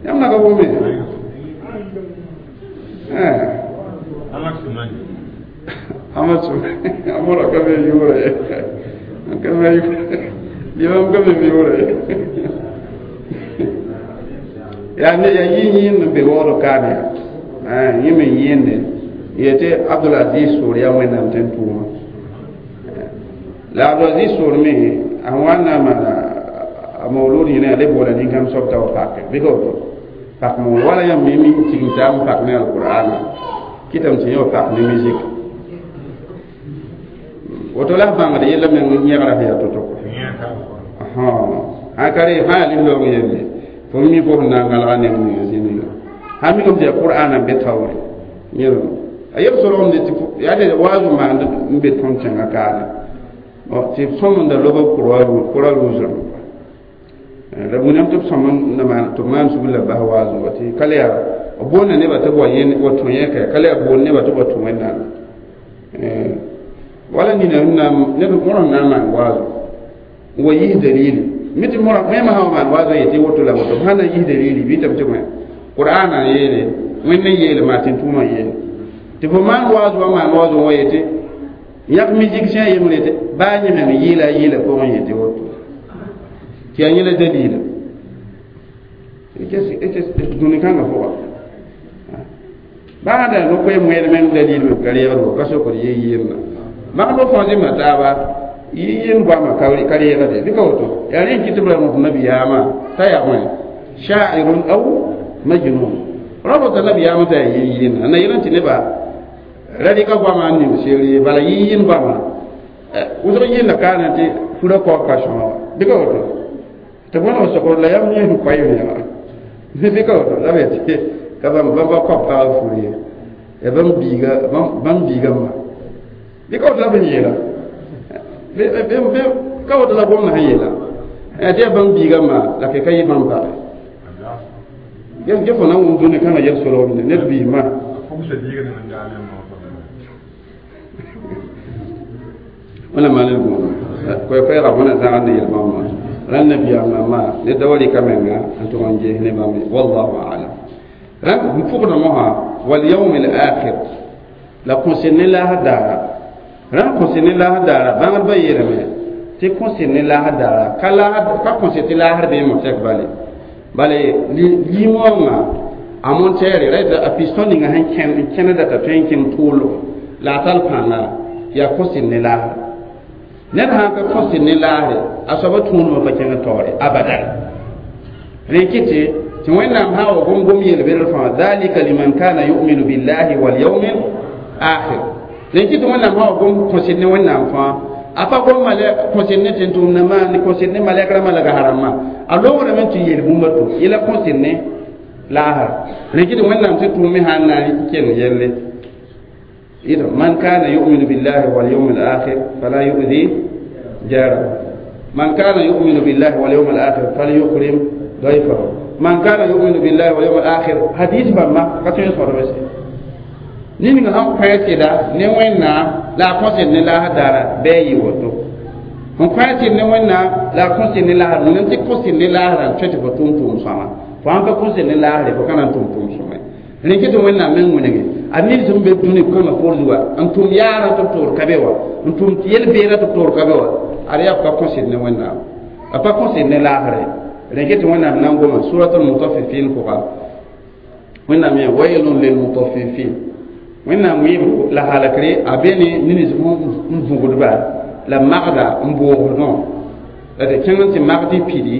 yãmb na ka wʋme Ahmad Sumani amora ka be yʋʋra ye ka be limam ka be yʋʋra ye yaa ne yaa yɩ yĩnd n be waood kaane yaa yẽ me n yẽende yetɩ abdulaziz soor yaa wẽnnaam tɩ n tʋʋma la abdulaziz soor me a wa n na n maana a maulud yẽna yaa le boola nin-kãmb soab t'a wa pake bɩ ka woto pak maul wala yãmb me mi tigim taab n pak ne alqur'ana kɩtame tɩ yẽ wa pak ne musique woto la f bãngd yella meng yẽgra sẽn yaa to-to sã ka re fãa yaa lislaoong yelle fo mi fo sẽn na n gãlga neng ninga zĩniga sã mikame tɩ yaa qur'ana n be taoore yẽlem a yeb solgemde tɩ yaa tɩ waazu maand n be tõnd kẽngã kaane tɩ b sõmenda lob kʋra rʋʋsrãmb la wĩnam tɩ b sõm na maan tɩ b maan sugr la b bas waazu wa tɩ ka le yaa b boonda nebã tɩ b wa yẽ wa tũ yẽka ka le yaa boond nebã tɩ b wa tũ wẽnnaam wala nina neb mõr sẽn na n maan waazu n wa yis dalili mi tɩ mõr wẽma sã wa maan waazu n yetɩ woto la woto b sã na n yis dalili bɩ tɩ b tɩ wẽ qur'ana n yeele wẽnd n yeele maa tɩ n tʋʋmã yeele tɩ fo maan waazu wa maan waazu wa yetɩ yãk musicien yembre yetɩ baa yẽ meng yɩɩla a yɩɩla pʋgẽ yetɩ woto tɩ yaa yẽla dalila dũni kãngã pʋga baa da no-koe moɛd meng dalil me ka reegd wa ka sokd ye yɩɩmna magd fo fãa zĩma taaba Yɩ-yɩnd goamã ka reegde bɩ ka woto yaa rẽ n kɩt tɩ b ra rõt nabiyaamã t'a yaa bõe sha'irun aw majnun ra rota nabiyaamã t'a yaa yɩ-yɩnda na yel n tɩ nebã ra rɩka goamã n ning seere bala yɩ-yɩnd goamã wʋsg yɩnda kaana tɩ fura kaoog ka sõaga bɩ ka woto tɩ bõe n sokd la yam yẽ koɛɛm yã bɩ ka woto la b yetɩ ka bãmb bãmba koab pagb fur ye ya bãmb biiga bãmb biiga ma bɩ ka woto la b n yeela ka woto la gomdã sẽn yeela tɩ yaa bãmb biiga ma la ke ka yɩ bãmb page ge fo na n wʋm dũni kãngã yɛl solgmne ned biismã wẽna maan d gũudum koɛɛ-koɛɛga wẽna zãgd ne yel-bãmbã rãnd nabiyaam rãmbã ned da wa rɩka menga n tʋg n ges ne bãmb ye wallahu alam rãnd n pʋgda mosã walyawm al-akhir la kõsɩ ne laasr daara rãnd kõsɩ ne laasr daara bãngdbã yeelame tɩ kõsɩ ne laasr daara ka laasr ka kõsɩ tɩ laasr bee motɛk bale bale limoongã a montɛɛre ra a piston ninga sẽn kẽn n kẽneda t'a tõe n kẽng tʋʋlg la a tall pãnga yaa kõsɩ ne laasr ned sãn ka kõsɩ ne laasre a soaba tũudmã pa kẽng taoore abadan rẽ kɩtɩ tɩ wẽnnaam sã n wa gom-gom yel-bɩdr fãa dhalika liman kana yu'minu billahi walyawmi akhir rẽ kɩtɩ wẽnnaam sã wa gom kõsɩd ne wẽnnaam fãa a pa gom kõsɩd ne tẽn-tʋʋmdãmbã ne kõsɩd ne malɛk rãmbã la gas-rãmbã a loograme tɩ yel bũmb to yela kõsɩd ne laasra rẽ kɩtɩ wẽnnaam tɩ tʋʋm me sã n na n kell yelle من كان يؤمن بالله واليوم الآخر فلا يؤذي جاره من كان يؤمن بالله واليوم الآخر فليكرم ضيفه من كان يؤمن بالله واليوم الآخر حديث بما كتير صار بس نين هم قيسدا نوينا لا قصد لا دار بي وتو هم قيسد نوينا لا قصد لا ننتي قصد لا دار تشتي فتوم توم سما فهم قصد لا دار فكان توم توم سما rẽn tɩ wẽnnaam meng wẽnege a ned sẽn be dũni kãngã poor zuga n tʋm yaarã tɩ b toor ka be wa n tʋm tɩ yel-beerã tɩ b toor ka be wa ad yaa b pa kõsd ne wẽnnaam a pa kõsd ne laasre rẽn tɩ wẽnnaam na n goma surat almutaffifin pʋga wẽnnaam yẽ wailun lilmutaffifin wẽnnaam wɩɩb la halakre a be ne nins n vũgdba la magda n boogdõ la tɩ kẽng n tɩ magd y pidi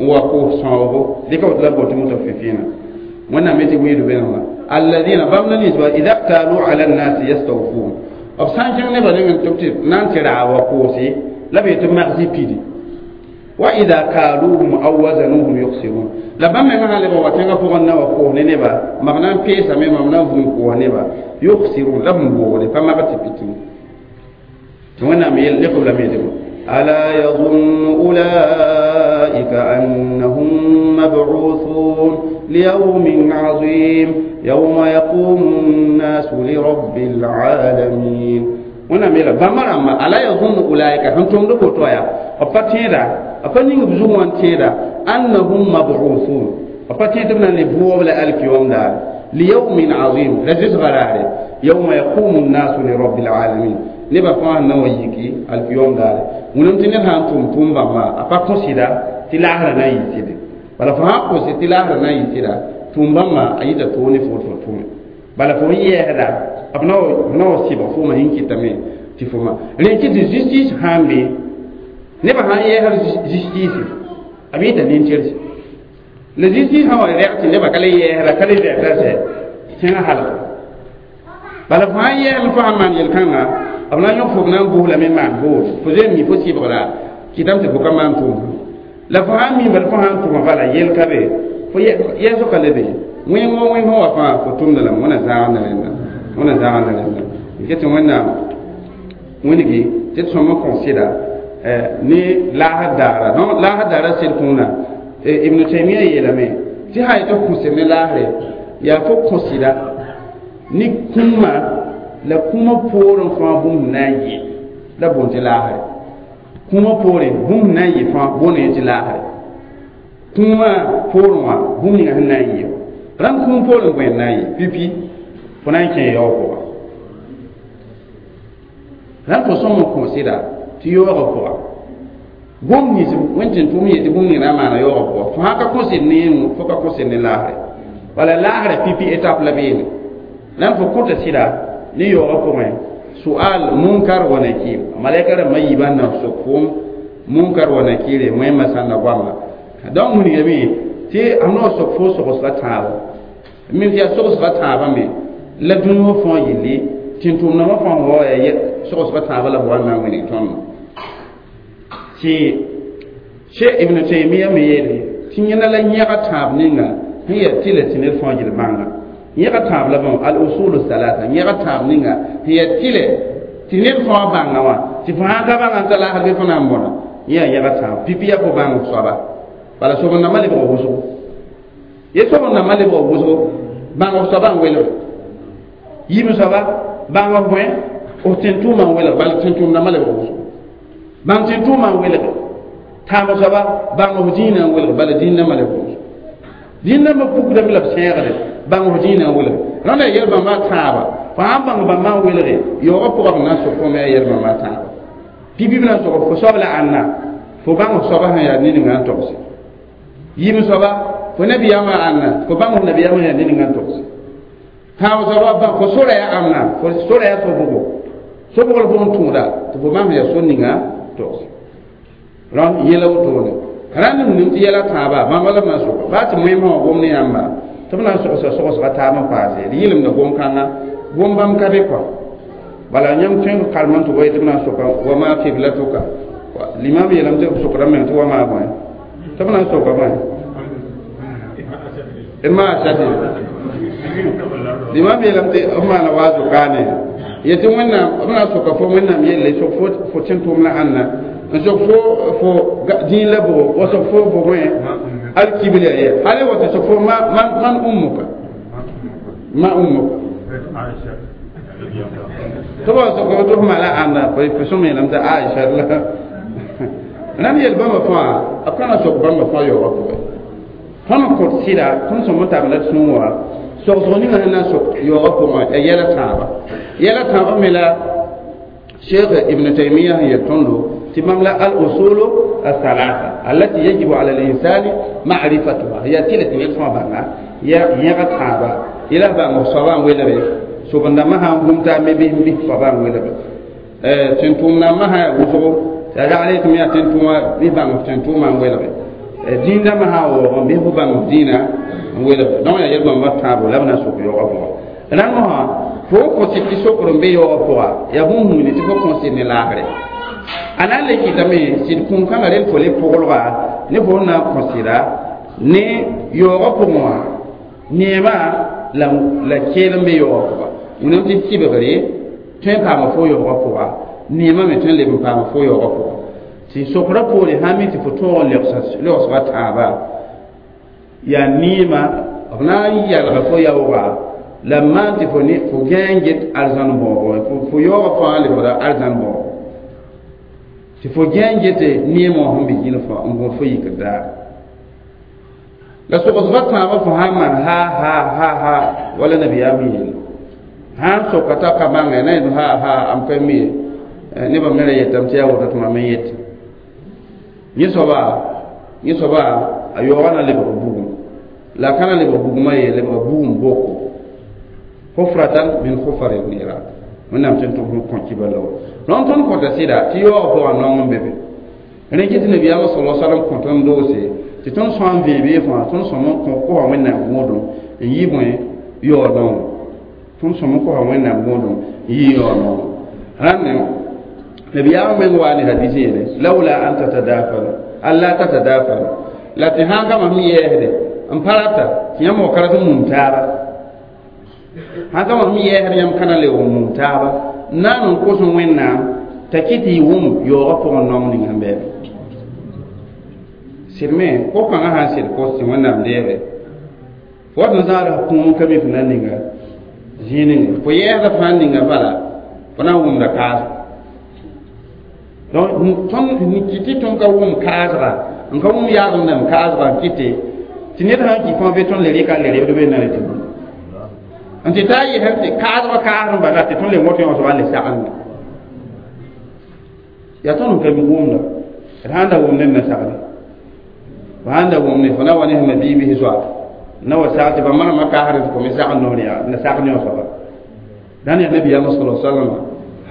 n wa koos sõoogo dɩka woto la b boot mutaffifina wẽnnaam yetɩ wɩɩd bẽnema alladina bãmb la ninsba ida ktalu ala nnasi yastawfun b sã n kẽng nebã nengẽ tɩ b tɩ na n tɩ raag wa koose la b yetɩ magsɩ pidi wa ida kaaluhum aw wazanuhum yuksirun la bãmb mengã sã leb n wa tẽngã pʋgẽ na wa koos ne neba mab na n peesame mam na n vũm koos neba yuksirun la b n boogde pa mag tɩ pitẽ tɩ wẽnnaam lekb lame tɩ ألا يظن أولئك أنهم مبعوثون ليوم عظيم يوم يقوم الناس لرب العالمين wẽnnaam yeela bãmba rãmba ala yazunnu ulaika sẽn tʋmd boto yaa b pa tẽeda b pa ning b zug wã n tẽeda annahum mab'uthun b pa tẽed tɩ b na n le bʋʋb la alkiyom daare liyawmin azim la zɩsgã raare yawma yaqumu nnasu lirabbil alamin nebã fãa sẽn na wa yiki alkiyom daare wẽnem tɩ ned sã n tʋm tʋʋm bãmba a pa kõsɩda tɩ laasrã na n yɩ sɩde bala fo sã n kos tɩ laasrã na n yɩ sɩda tʋʋm bãmba a yita toog ne fo tɩ fo tʋme bala fo n yɛɛsda b na wa sɩbg fooma sẽn kɩtame tɩ fo ma rẽ kɩ tɩ justice sã n be nebã sã n yɛɛsd justice b yɩta nin-tɩrse la justice sã wa rɛg tɩ nebã ka le yɛɛsda ka le rɛgta sɛ tẽngã halga bala fo sã n yɛɛsd fo sãn maan yel-kãnga b na n yõk fo b na n bʋʋs lame n maan boos fo zoe n mi fo sɩbgra kɩtame tɩ fo ka maan tʋʋm la fo sã n mi bala fo sã n tʋma bala yel ka be fo yɛɛsg ka le be wẽng wa wẽng wa fãa fo tʋmda lame wẽna zãagda rẽnda wẽna zãagda rẽnda n tɩ wẽnnaam wẽnegi tɩ d sõm n kõsɩda ne laasd daara donc laasd daara sed kũuna ibn taimia yeelame tɩ sã yetɩ kõsd ne laasre yaa fo kõsɩda ne kũumã la kũumã poorẽ fãa bũmb na n yɩ la boond tɩ laasre kũumã poorẽ bũmb na n yɩ fãa boond tɩ laasre kũumã poorẽ wã bũmb ninga sẽn na n yɩ rãmb kũum poorẽ bõe n na n yɩ pipi fo na n kẽ yaoog pʋga rãmb fo sõm n kõsɩda tɩ yaoogã pʋga gom nins wẽn tɩ tʋʋm yetɩ bũmb ning na n maana yaoogã pʋga fo sã ka kõsd ne fo ka kõsd ne laasre bala laasrã pipi étape la beene rãmb fo kõta sɩda ne yaoogã pʋgẽ Su'al Munkar wa Nakir, malaika rãmbã yiibã n na sok foom Munkar wa Nakir wẽmã sã n na goama. Donc wilgame tɩ a noog sok fo sogsga tãabo min tɩ yaa sogsga tãabã me la dũni wã fãa yelle tẽn-tʋʋmdãmbã fãa wa yaa sogsga tãabã la b wa n na n wilg tõndo tɩ Cheikh Ibn Taymiya me yeele tɩ yẽna la yẽga tãab ninga sẽn yaa tɩlɛ tɩ ned fãa gil bãnga yẽga tãab la bõe al usul salasa yẽga tãab ninga sẽn yaa tɩlɛ tɩ ned fãa bãnga wã tɩ fo sãn ka bãnga n ta laasr bɩ fo na n bõna yẽ yaa yẽga tãab pipi yaa fo bãng soaba bala sob-n-dãmbã lebg wʋsgo ye sob-n-dãmbã lebg wʋsgo bãng f soaba n welg yib soaba bãng f bõe f tẽn-tʋʋmã n welg bala tẽn-tʋʋm-dãmbã lebg wʋsgo bãng tẽn-tʋʋmã n welg tãab soaba bãng f dĩinã n welg bala dĩin-dãmbã lebg wʋsgo dĩin-dãmbã pukdame la b sẽegde bãng f dĩinã n welg rãnda yaa yɛl-bãmbã tãaba fo sãn bãng bãmbã n welge yaoogã pʋgã b na n sok fo me yaa yɛl-bãmbã tãaba pipi b na n sog fo soab la ãnna fo bãng f soaba sẽn yaa ned ninga n togse yim soaba fo nabiyaamã ãnna fo bãng f nabiyaamã yaa ned ninga n togse tãab soaba bãng fo sora yaa ãmna fo sora yaa sobgo sobg la fo n tõoda tɩ fo bãng yaa sor ninga togse rãnd yɛla wotone rãnd nim tɩ yɛla tãaba bãmba la b na n soka baa tɩ moẽmsã wã gom ne yãmba tɩ b na n sogsa sogsga taab n paase d yɩlemda gom-kãnga gom bãmb ka be kɔa bala yãmb tõe n karem n tɩ wa tɩ b na n soka wa maa kiblatuka limam yeelame tɩ b sokdame meng tɩ wa maa bõe tɩ b na n soka bõe d maa sati limam yeelame tɩ b maana waazo kaane yetɩ wẽnnaam b na n soka fo wẽnnaam yelle sok fo fo tẽn-tʋʋm la ãnna n sok fo fo dĩin la bʋgo wa sok fo fo bõe alkibla ye hali wa tɩ sok fo man ummuka ma ummuka tɩ b wa sok tɩ f maa la ãnna fo sõm yeelame tɩ Aisha la rãnd yel bãmba fãa b ka na sok bãmba fãa yaoogã pʋgẽ tõnd n kõt sɩda tõnd sõm n tabla d sũur wã sogsg ninga sẽn na n sok yaoogã pʋgẽ yaa yɛla tãaba yɛla tãabã me la Cheikh Ibn Taymiya sẽn yel tõndo tɩ bãmb la al usulu الثلاثة التي يجب على الإنسان معرفتها هي tɩlɛ tɩ ned fãa bãnga ya yẽga tãaba yela bãng soabã n welge sob-n-dãmbã sã n gũm taa me bɩ bɩ soabã n welge tẽn-tʋʋm-dãmbã sã yaa wʋsgo t'a ragl tɩ me yaa tẽn-tʋʋma bɩ bãng f tẽn-tʋʋmã n welge dĩin-dãmbã sã n waoogẽ bɩ fo bãng f dĩinã n welge donc yaa yel-bãmba tãabo la b na n sok yaoogã pʋga rãnd mosã fo n kõs tɩ sokr n be yaoogã pʋga yaa bũmb hũuni tɩ fo kõs ne laagre a na n le kɩtame sɩd kũum-kãngã rel fo le pʋglga ne fo n na n kõ sɩda ne yaoogã pʋgẽ wã neemã la la keel n be yaoogã pʋga wẽnnaam tɩ sɩbgre tõe n paama fo yaoogã pʋga neemã me tõe n leb n paama fo yaoogã pʋga tɩ sokra poore sã n mi tɩ fo tõog n legsga tãaba yaa neemã b na n yalga fo yaooga la maan tɩ fo ne fo gãe n get arzãn bãoogo fo yaoogã fãa lebgra arzãn bãoogo tɩ fo gãe n gete neemã wã sẽn be zĩn fãa n gõod fo yikr daar la sogsga tãabã fo sã n maan ha ha ha ha wala nabiyaam yeele sã n soka t'a ka bãnge na yẽ ha ha am ka mi ye nebã me ra yetame tɩ yaa woto tɩ mam n yet yẽ soaba yẽ soaba a yaoogã na lebg bugum la a ka na lebg bugumã ye lebg bugum boko حفرة من حفر النيران wẽnnaam tɩ n tʋg kõ kiba la rõnd tõnd kõta sɩda tɩ yaoogã pʋgã naong n be be rẽ kɩ tɩ nabiyaamã sala salam kõ tõnd doose tɩ tõnd sõa n vẽebe fãa tõnd sõm n kosa wẽnnaam gõodum n yɩ bõe yaoog naoongo tõnd sõm n kosa wẽnnaam gõodum n yɩ yaoog naoongo rãnd nabiyaamã meng waa ne hadis yeele لولا أن تتدافن ألا تتدافن la tɩ sãn ka mam yɛɛsde n pa rata tɩ yãmb wa ka rat n mum taaba sãn ka mam yɛɛsd yãmb ka na le n mum taaba n naan n kos wẽnnaam t'a kɩ tɩ y wʋm yaoogã pʋgẽ naong ning sẽn bɛɛbe sɩd me ko-kãngã sã n sɩd kos tɩ wẽnnaam deege fo wat n zãada kũum ka mi fo na n ninga zĩig ninga fo yɛɛsda fãa n ninga bala fo na n wʋmda kaasgo donc tõnd kɩ tɩ tõnd ka wʋm kaasga n ka wʋm yaagem dãmb kaasga n kɩte tɩ ned sã n kɩ fãa be tõnd le rɩka le rebd be na tɩ n tɩ taa yesem tɩ kaasgã kaasd n bala tɩ tõnd le wõt yõ soaba le sagenda yaa tõnd n ka mi wʋmda d sãn da wʋm ned na sagde fo sãn da wʋm ne fo na wa ne sẽn biibs zoa na wa sag tɩ ba manema kaasd tɩ fo me sagd noor yaa na sagd yõ soaba dãn yaa nabiyaamã sala salama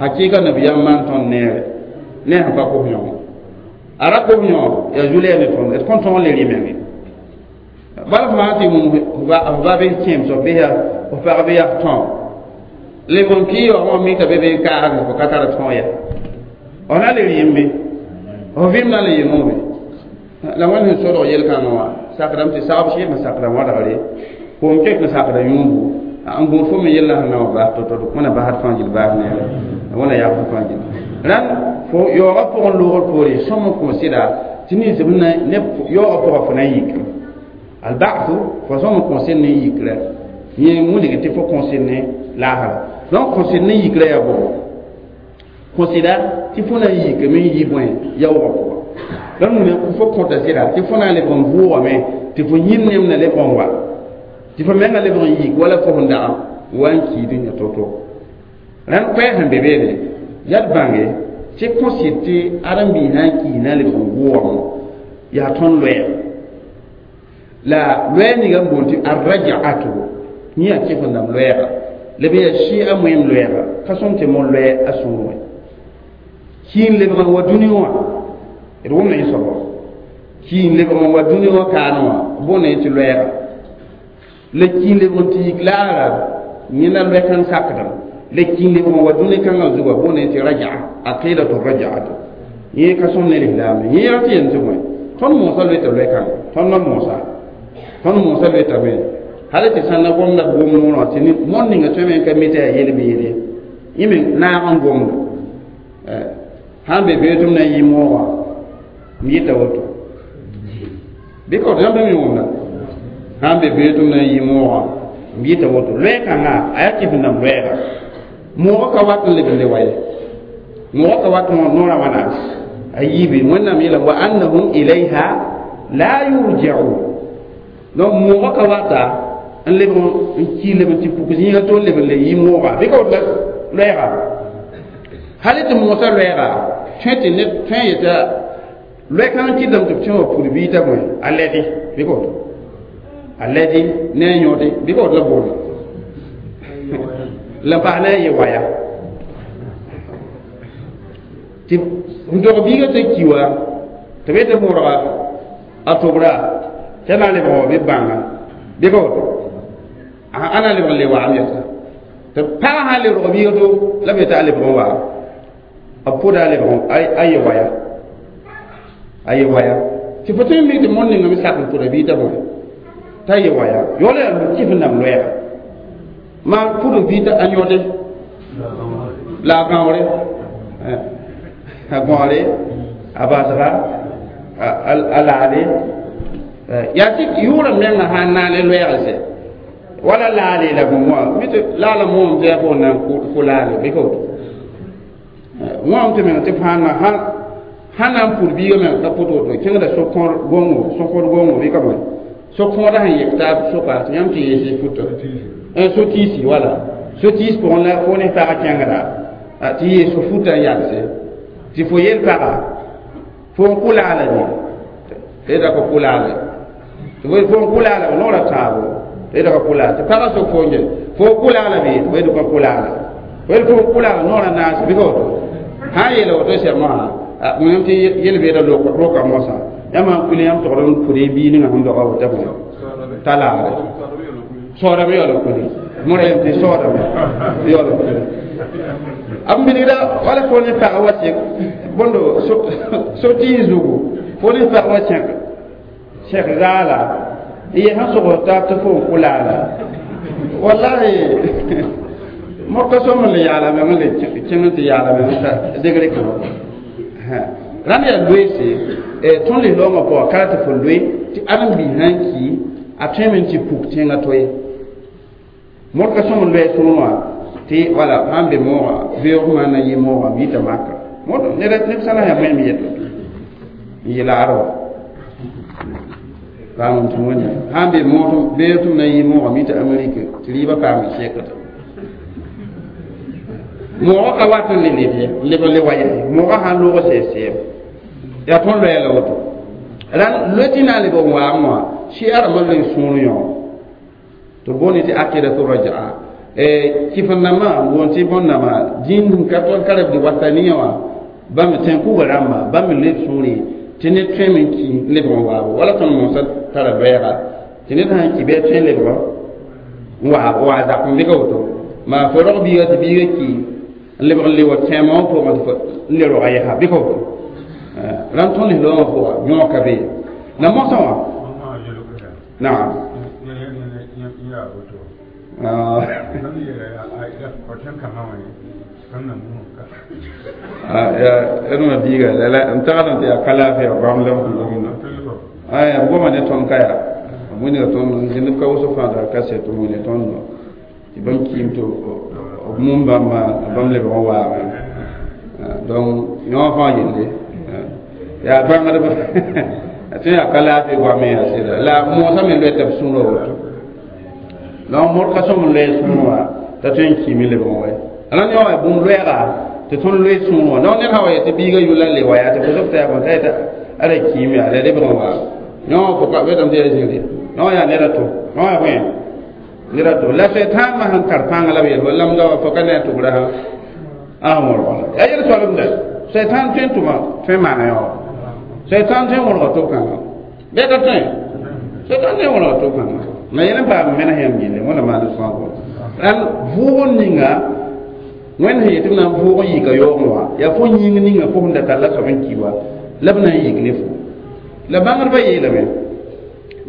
Hakika nabiyam man tõnd neere ne sẽn pa kos yõ a ra kos yõ yaa zu-lɛɛg ne tõnd d kõn tõog n le rɩ menge bala f maan tɩ wũm f ba bɩ kẽem soab bɩ yaa f pag bɩ yaa f tõog lebg n kɩ yaoog wã mika be be n kaasge fo ka tar tõog ya f na le rɩɩm bɩ f vɩɩm na n le yemoobe la wẽnd sẽn sodg yel-kãngã wã sakdame tɩ sagb sɩɩg n sakda wãdgre koom kek n sakda yũubu n gũud fo me yella sẽn na wã bas to-to wẽna basd fãa gill baas neere wẽna yagb fãa gill rãnd fo yaoogã pʋgẽ loogr poore sõm n kõ sɩda tɩ nins b na neb yaoogã pʋgã fo na n yikr albathu fo sõm n kõ sɩd ne yikrã yẽ wilg tɩ fo kõ sɩd ne laasra donc kõ sɩd ne yikrã yaa bʋgo kõ sɩda tɩ fo na n yikame n yi bõe yaoogã pʋgã donc fo kõta sɩda tɩ fo na n lebg n vʋʋgame tɩ fo yĩm nem na lebg n wa tɩ fo menga lebg n yik wala fo sẽn dag wa n kiid n yã to-to rãnd koɛɛg sẽn be beene yaa d bãnge tɩ kõ sɩd tɩ ãdem-biis na n kii na n lebg n vʋʋgame yaa tõnd loɛɛg la loɛɛg ninga n boond tɩ arrajaatu yẽ yaa kɩf n dãmb loɛɛga la b yaa sɩɩga moeem loɛɛga ka sõm tɩ mo loɛ a sũur wẽ kii n lebg n wa dũni wã d wʋmda yẽ soaba kii n lebg n wa dũni wã kaane wã boonda yẽ tɩ loɛɛga la kii n lebg n tɩ yik laara yẽna loɛ-kãng sakdem la kii n lebg n wa dũni kãngã zugã boonda yẽ tɩ rajaa aqidatu rajaatu yẽ ka sõm ne lislaam yẽ yaa tɩ yem tɩ bõe tõnd moosã loeta loɛ-kãnga tõnd na moosa tõnd moosã loetame hal tɩ sãn na gomda gom noorã tɩ mõnd ninga tõe me n ka mi tɩ yaa yel-beede yẽ me naag n gomda sãn be bee tɩ m na n yɩ moogã m yɩta woto bɩ ka woto yãmb me wʋmda sãn be bee tɩ m na n yɩ moogã m yɩta woto loɛ-kãngã a yaa kɩf n dãmb loɛɛga moogã ka wat n leb n le wa ye moogã ka wat noorã wãna a yiibe wẽnnaam yeela wa annahum ilayha la yurjaun donc moogã ka wata n leb n ki leb n tɩ puk zĩiga to n leb n le yɩ moogã bɩ ka woto la loɛɛga hal tɩ moosã loɛɛga tõe tɩ ned tõe n yeta loɛ-kãng kɩtame tɩ b tõe wã pud biita bõe a lɛdɩ bɩ ka woto a lɛdɩ ne a yõode bɩ ka woto la boonda la n paas ne a yɩ waya tɩ n dog biigã t'a ki wa tɩ b tɩ modga a tobra t'a na n lebg wa bɩ bãnga bɩ ka woto a na n lebg n le waam yɛsa tɩ pagã sã n le rog biiga to la b yetɩ a lebg n waam a pʋda a lebg a yɩ waya a yɩ waya tɩ fo tõe n mik tɩ mõnd ninga me sak n pʋda bii t'a bõe t'a yɩ waya yaoola yaa kɩf n dãmb loɛɛga maa pʋd bii t'a yõde la a gãoore a gãoore a basga a laale yaa tɩ yʋʋrã menga sã n naane loɛɛg sɛ wala laale la bõe wã mi tɩ laala moom tɩ yaa fo na n kʋ laale bɩ ka woto wãm tɩ meng tɩ fãa na sãn na n pʋd biigã meng ka pʋt woto kẽngda so-kõor gongo so-kõor gongo bɩ ka bõe so-kõoda sẽn yek taab soka tɩ yãmb tɩ yees futa so-tiisi wala so-tiis pʋgẽ la fo ne pagã kẽngda tɩ yees fo futa n yalse tɩ fo yel paga fo n kʋ laala ne tɩ da ka kʋ laala tɩ fo n kʋ laala noorã tãabo tɩ da ka kʋ laala tɩ pagã sok fo n fo n kʋ laala bɩ tɩ fo yel ka kʋ laala fo yel fo n kʋ laala noorã naas bɩ ka woto sã n yeela woto sɛm wã yãmb tɩ yel-beedã roka mosã yãmb sãn kuil yãmb togd n pʋd y bii ninga sẽn doga woto bõe t'a laagre soodame yaool n kuli mõra yem tɩ soodame yaool n kuli b bilgda wala fo ne pag wa sẽk bõndo so-tɩɩs zugu fo ne pag wa sẽk sẽk zaala n yɛ sẽn sogs taab tɩ fo n kʋ laala wallahi mo ka sõm n le yaala meng n le kẽng n tɩ yaala meng t'a degre kãngã rãnd yaa loeese tõnd lislaoongã pʋgã ka tɩ fo loe tɩ ãdem-biis sã n ki a tõeme n tɩ puk tẽngã to ye mõr ka sõm n loɛ sõor wã tɩ wala sãn be moogã beoog maan na yɩ moogã b yita maka ned neb sã na yaa bõe me yeto n yɩ laar wa paam tɩ wẽnna sãn be moog beoog tɩ m na yɩ moogã b yita amerike tɩ rɩɩbã paam sɛkda moogã ka wat n le leb ye n leb n le wa yaa moogã sãn loog sɛɛb sɛɛb yaa tõnd loɛɛ la woto rãnd loe tɩ na n leb n waam wã sɩ rãmbã loe sũur yõ tɩ boond tɩ aqidatu rajaa Kɩf-n-nambã n boond tɩ bõn-nambã dĩin ka tõe n ka reb wasaniya wã bãmb tẽn-kuga rãmba bãmb me leb sũurẽ tɩ ned tõeme n ki n lebg n waabo wala tõnd mosã tara loɛɛga tɩ ned sã n ki bɩ a tõe n lebg n waa waa zak n bɩ ka woto maa fo rog biiga tɩ biiga ki n lebg n le wa tẽemã wã pʋgẽ tɩ n le roga yɛsa bɩ ka woto rãnd tõnd lislaamã pʋga yõog ka be la mosã wã naam. Ah. Ya n biiga la n tagsd tɩ yaa ka laafɩ goam la aya b goma ne tõnd ka yaa b wilga tõnd zĩnd b ka wʋsg fãa t'a kaset n wilg tõndo tɩ bãmb kiim tɩ b mum bãmba bãmb lebg n waame donc yõ fãa yelle yaa bãngdb tɩ yaa ka laafɩ goame yaa sɩda la moosã me loɛ tɩ b sũurã woto donc mod ka sõm n loɛ sũur wã t'a tõe n kiime lebg n wa la yõ wa bũmb loɛɛga tɩ tõnd loe sũur wã donc ned sã wa yetɩ biiga yʋla le wa yaa tɩ fo sob t'a yaa bõe t'a yetɩ ala kiime yaa la lebg n waa yõ fo ka betame tɩ yaa zĩgre yõ yaa ned a to yõ yaa bõe ned a to la sɛtãambã sẽn tar pãnga la b yel lamda wa fo ka ne a tʋgra sã a sẽn wõrga la yaa yel soalemda sɛtãan tõe n tʋma tõe n maana yõ sɛtãan tõe n wõrga to-kãngã bɩ ka tõe sɛtãan tõe n wõrga to-kãngã la yẽl n paam menes yãmb yelle wẽnna maan sõago rãnd vʋʋg n ninga wẽnd sẽn yetɩ b na n vʋʋg n yika yaoogẽ wã yaa fo yĩng ninga fo sẽn da tall la soab n ki wa la b na n yik ne fo la bãngdbã yeelame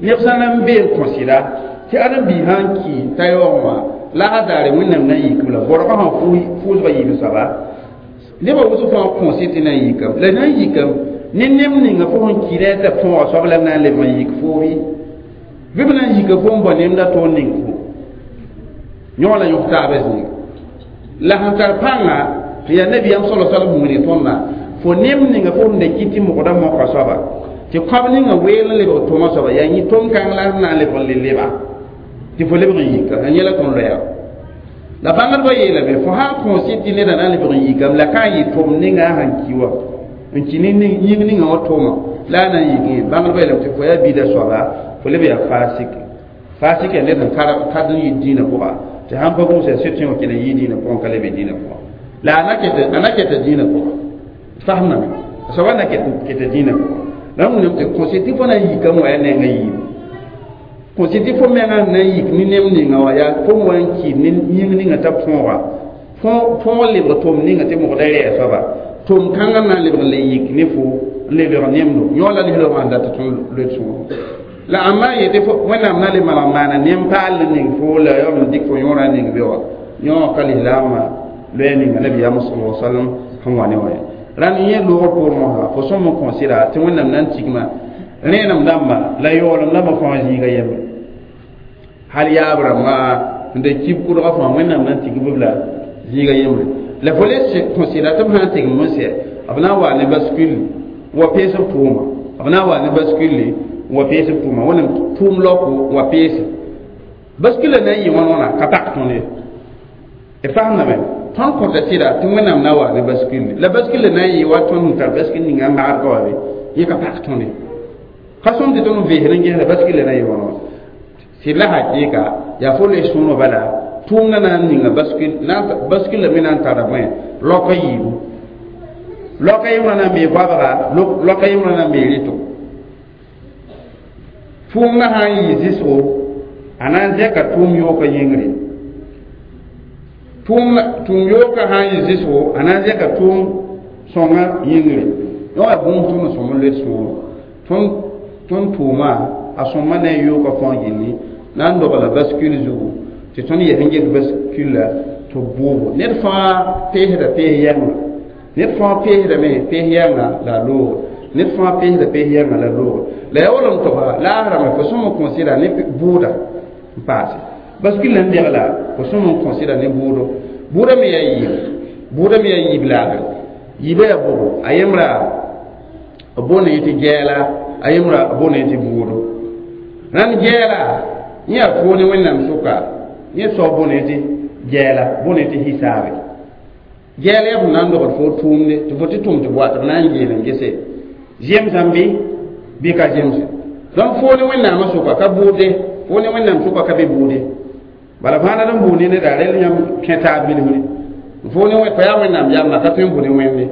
neb sã na n bee n kõ sɩda tɩ ãdem-biig sã n ki t'a yaoogẽ wã la a daare wẽnnaam na n yikb la bɔrgã sã fʋʋsgã yiib soaba nebã wʋsg fãa kõsɩ tɩ na n yikame la na n yikame ne nem ninga fo sẽn kɩ t'a põoga soab la b na n lebg n yik foo bɩ b na n yika fo n bao nemda toor ning fo yõ la yõk taabã zĩiga la sẽn tar pãnga tɩ yaa nabiyaam sala salm wilg tõndã fo nem ninga fo sẽn da kɩ tɩ mogda moka soaba tɩ kõab ninga weel n lebg tʋma soaba yaa yĩ tʋm-kãng la sẽn na n lebg n le leba tɩ fo lebg n yika a yẽla tõnd loɛɛga la bãngdbã yeelame fo sã n kõs tɩ neda na n lebg n yikame la ka n yɩ tʋm ninga a sẽn ki wa n kɩ ne yĩng ninga wã tʋma la a na n yik bãngdbã yeelame tɩ fo yaa bida soaba fo leb yaa fasik fasik yaa ned sẽn kad n yɩ dĩinã pʋga tɩ sãn pa gũus yaa sɩd wã kẽna yɩ dĩinã pʋgẽ ka lebe dĩinã pʋgã la a na keta dĩinã pʋgã fasemdame a soaba na keta dĩinã pʋgã la wẽnnaam tɩ kõsɩ tɩ fo na n yikame wã yaa nenga yiibu kõsɩ tɩ fo menga na n yik ne nem ninga wã yaa fo wa n kɩɩd ne yĩng ninga t'a põoga põog lebg tʋm ninga tɩ mogda rɛɛ soaba tʋm kãngã na n lebg n le yik ne fo n le lebg nemdo yõ la lislaoogã sẽn dat tɩ tõnd loe sõor la ãmba yetɩ wẽnnaam na le maneg maana nem paal n ning fo la ya n dɩk fo yõorã ning be wã yõ ka lislaamã loɛɛ ninga nabiyaam sala sallam sẽn wa ne wã ye rãnd yẽ loogr poorẽ mosã fo sõm n kõsɩda tɩ wẽnnaam na n tigma rẽenem dãmba la yaoolem dãmbã fãa zĩiga yembre hal yaab rãmbã n da kib kʋdgã fãa wẽnnaam na n tigb b la zĩiga yembre la fo le kõsɩda tɩ b sã n tigm n sɛ b na n waa ne bascule wa pees b tʋʋma b na n waa ne bascule wa pees b tʋʋma wẽnnaam tʋʋm laoko wa peese bascule na n yɩ wãn wãna ka tak tõnd ye d fasemdame tõnd kõta sɩda tɩ wẽnnaam na wa ne bascule la bascule na n yɩ wa tõnd sẽn tar bascule ninga n magd ka wa be yẽ ka pak tõnd ye ka sõm tɩ tõnd veesd n gesda bascule na n yɩ wãn wã sɩd la hakɩɩka yaa fo loe sõorã bala tʋʋmdã na n ninga bascule bascule me na n tara bõe laoka yiibu laoka yembrã na n bee goabga laoka yembrã na n bee rɩto tʋʋmdã sã n yɩ zɩsgo a na n zɛka tʋʋm yooka yĩngre tʋʋm yooka sã n yɩ zɩsgo a na n zɛka tʋʋm sõnga yĩngre yõ yaa bũmb tõnd n sõm n loe sõoro tõnd tʋʋma a sõmma ne a yooka fãa gilli na n dogla bascule zugu tɩ tõnd yɛs n get bascule la tɩ b bʋʋbo ned fãa peesda pees yɛnga ned fãa peesdame pees yɛnga la a loogo ned fãa peesda pees yɛnga la loogo la yaa wala n toga laasrame fo sõm n kõsɩda ne bʋʋda n paase bascule n degla fo sõm n kõsɩda ne bʋʋdo bʋʋda me yaa yiib bʋʋda me yaa yiib laagre yiibã yaa bʋgo a yembra b boonda yẽ tɩ gɛɛla a yembra b boonda yẽ tɩ bʋʋdo rãnd gɛɛla yẽ yaa foo ne wẽnnaam sʋka yẽ soab boonda yẽ tɩ gɛɛla boonda yẽ tɩ hisaabe gɛɛla yaa fõn na n dogd fo tʋʋmde tɩ fo tɩ tʋm tɩ bʋa tɩ b na n geel n gese zemsame bɩ bɩ ka zemse donc foo ne wẽnnaamã sʋka ka bʋʋde foo ne wẽnnaam sʋka ka be bʋʋde Bala fãa d n buud ne neda rel yãmb kẽ taab bilfre fo ne fo yaa wẽnnaam yamba ka tõe n bʋ ne wẽnde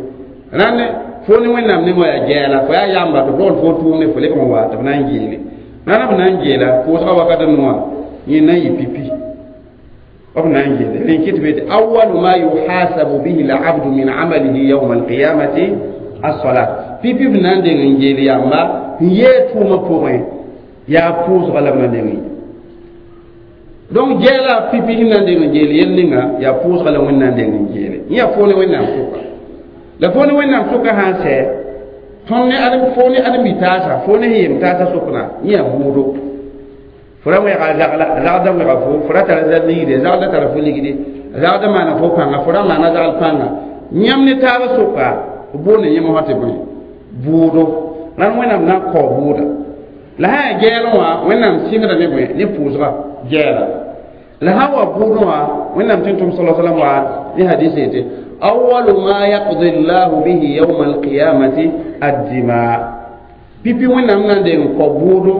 rãnd fo ne wẽnnaam nengã yaa gɛɛla fo yaa yamba tɩ f rogl fo tʋʋmde fo lebg n wa tɩ b na n geele rãnd b na n geela pʋʋsga wakat n noã yẽ na n yɩ pipi b na n geele rẽ kɩt be tɩ awalu ma yuhasabu bihi labdu min amalihi yauma alqiyamati as-salat pipi b na n deng n geel yamba n yee tʋʋmã pʋgẽ yaa pʋʋsga la b na deng n donc gɛɛla pipi sẽn na n deng n geel yel ninga yaa pʋʋsga la wẽnd na n deng n geele yẽ yaa fo ne wẽnnaam sʋka la fo ne wẽnnaam sʋka sã n sɛ tõnd ne adem fo ne ãdem-bi-taasa fo ne sẽn yem taasa sʋkna yẽ yaa buudo fo ra wẽga a zagla a zagda wẽga fo fo ra tara zal ligde zagda tara fo ligde zagda maana fo pãnga fo ra maana zagl pãnga yãmb ne taaba sʋka b boonde yẽm wã tɩ bõe buudo rãnd wẽnnaam na n kao buuda la sã yaa gɛɛlẽ wã wẽnnaam sɩngda ne bõe ne pʋʋsga gɛɛla la sã wa buudẽ wã wẽnnaam tɩ tʋm sala salam wa ne hadis yetɩ awalu ma yaqdi llahu bihi yauma alqiyamati addima pipi wẽnnaam na n deng n kao buudo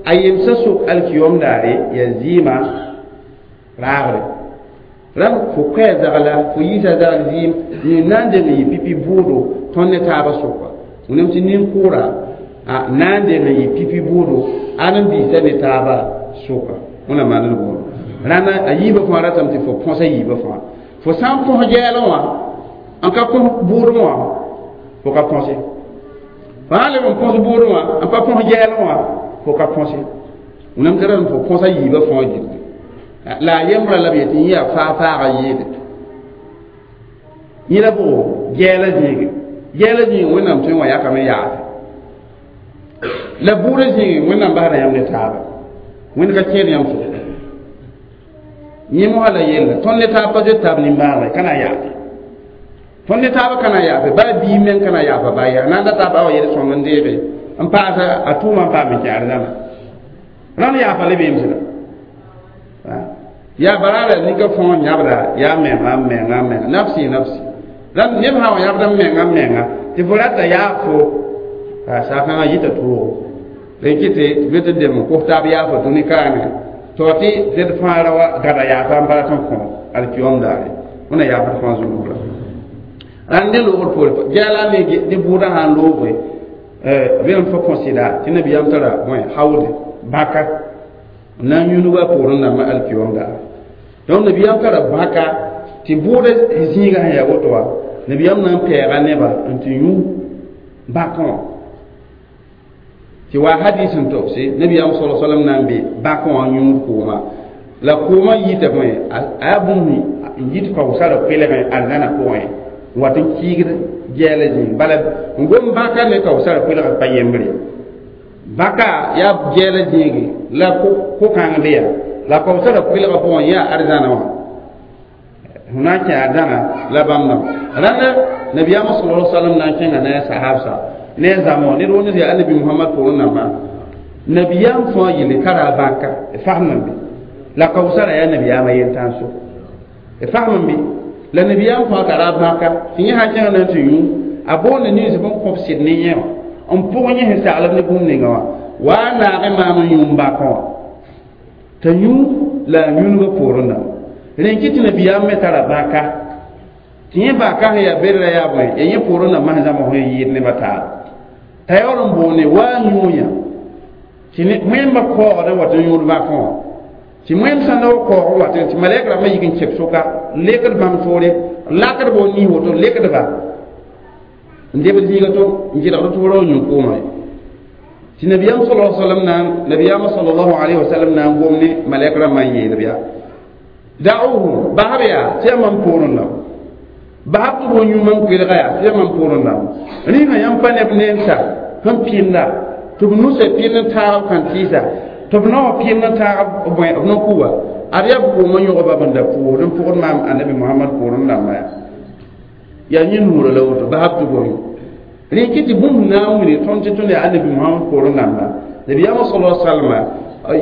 a yemsã sʋk alkiyom daare yaa zɩɩmã raagre rãmb fo koɛɛ zagla fo yiisa zagl zɩɩm yẽ na n deng n yɩ pipi buudo tõnd ne taabã sʋka wẽnnaam tɩ nin-kʋʋra na n deng n yɩ pipi buudo ãdem-biisã ne taabã sʋka wẽnnaam maand d buudo rãnda a yiibã fãa ratame tɩ fo põsa yiibã fãa fo sã n põs gɛɛlẽ wã n ka põs buudẽ wã fo ka põse fo sã n leb n põs buudẽ wã n pa põs gɛɛlẽ wã fo ka põse wẽnnaam tɩ rãmb fo põsa yiibã fãa gilli la a yembrã la b yetɩ yẽ yaa faa-faaga yeede yẽ la bʋgo gɛɛla zĩige gɛɛla zĩige wẽnnaam tõe n wa yakame yaase la buudã zĩige wẽnnaam basda yãmb ne taaba wẽnd ka kẽed yãmb sʋka yẽ mosã la yella tõnd ne taab pa zoet taab nimbãanega ka na n yaase tõnd ne taabã ka na n yaafe baa biig meng ka na n yaafa baa yaa na n da taab a wa yel sõng n deege n paasa a tʋʋmã n paam n kẽ arzãna rãnd yaafa le beem sẽda yaa baraara nika fõo yãbda yaa menga menga menga nafsi nafsi rãnd neb sã wa yãbda menga menga tɩ fo rata yaa fo saakãngã yita toogo rẽ kɩ tɩ tɩ be tɩ dem n kos taab yaafa dũni kaane to tɩ d fãa ra wa gada yaafa n bala tõn kõ alkiyom daare wẽna yaafd fãa zũnugla rãnd ne loogr poore gɛɛla ne ne bʋʋdã sã n looge bɩ n fo kõ sɩda tɩ nabiyaam tara bõe hawde bãka n na n yũnug a poorẽ dãmbã alkiyom daare donc nabiyaam tara bãka tɩ bʋʋdã zĩigã sẽn yaa woto wã nabiyaam na n pɛɛga neba n tɩ yũ bãkẽ wã tɩ wa hadis n togse nabiyaam sala salam na n be bãkẽ wã yũud kooma la koomã yita bõe a yaa bũmb n yit kaoosara koelgẽ arzãna pʋgẽ n wat n kiigd gɛɛla zĩig bala n gom bãka ne kaoosara koelga pa yembre bãka yaa gɛɛla zĩige la ko-kãng be yaa la kaoosara koelga pʋgẽ yaa arzãna wã fo na n kẽ arzãna la bãmb dãmb rãnda nabiyaamã sala salam na n kẽnga ne a sahabsa ne a zãmb ned wʋnd yaa annabi muhammad poorẽ nambã nabiyaam fãa yelle tara a bãka d fasem n be la kaoosara yaa nabiyaamã yentãan so d fasem n be la nabiyaam fãa tara a bãka tɩ yẽ sã n kẽng na n tɩ yũ a boonde nins bõn kõb sɩd ne yẽ wã n pʋg yẽ sẽn saglb ne bũmb ninga wã wa a naag maam n yũ bãkẽ wã t'a yũ la a yũnugã poorẽ dãmba rẽ kɩ tɩ nabiyaam me tara bãka tɩ yẽ bãka sẽn yaa berra yaa bõe yaa yẽ poorẽ dãmbã sẽn zãmb sẽn yɩɩd nebã taaba t'a yaool n boonde wa a yũuya tɩ wẽmba kaoogd n wat n yũud bãkẽ wã tɩ wẽnd sã n da wa kaoog n wat tɩ malɛk rãmbã yik n kep sʋka lekd bãmb toore lakdba w niis woto lekdba n debd zĩiga to n gɩlgd tɩ f ra wa yũ koomã ye tɩ nabiyaam sala salam na nabiyaamã salallahu alayhi wasallam na n gom ne malɛk rãmbã n yeelb yaa da'uhu basb yaa tɩ yaa mam poorẽ dãmb basb tɩ b yũ mam koelga yaa tɩ yaa mam poorẽ dãmb rĩngã yãmb pa neb nenta sẽn pɩnda tɩ b nusã pɩnd n taag b kãn-tɩɩsa tɩ b naoã pɩnd n taag b bõe b no-kuwa ad yaa b koomã yõgba b n da pʋʋsd n pʋgd maam annabi mohamad poorẽ dãmba yaa yaa yẽ nuurã la woto basb tɩ bo yũ rẽ kɩ tɩ bũmb na n wilg tõnd tɩ tõnd yaa annabi mohamad poorẽ dãmba nabiyaamã sala salma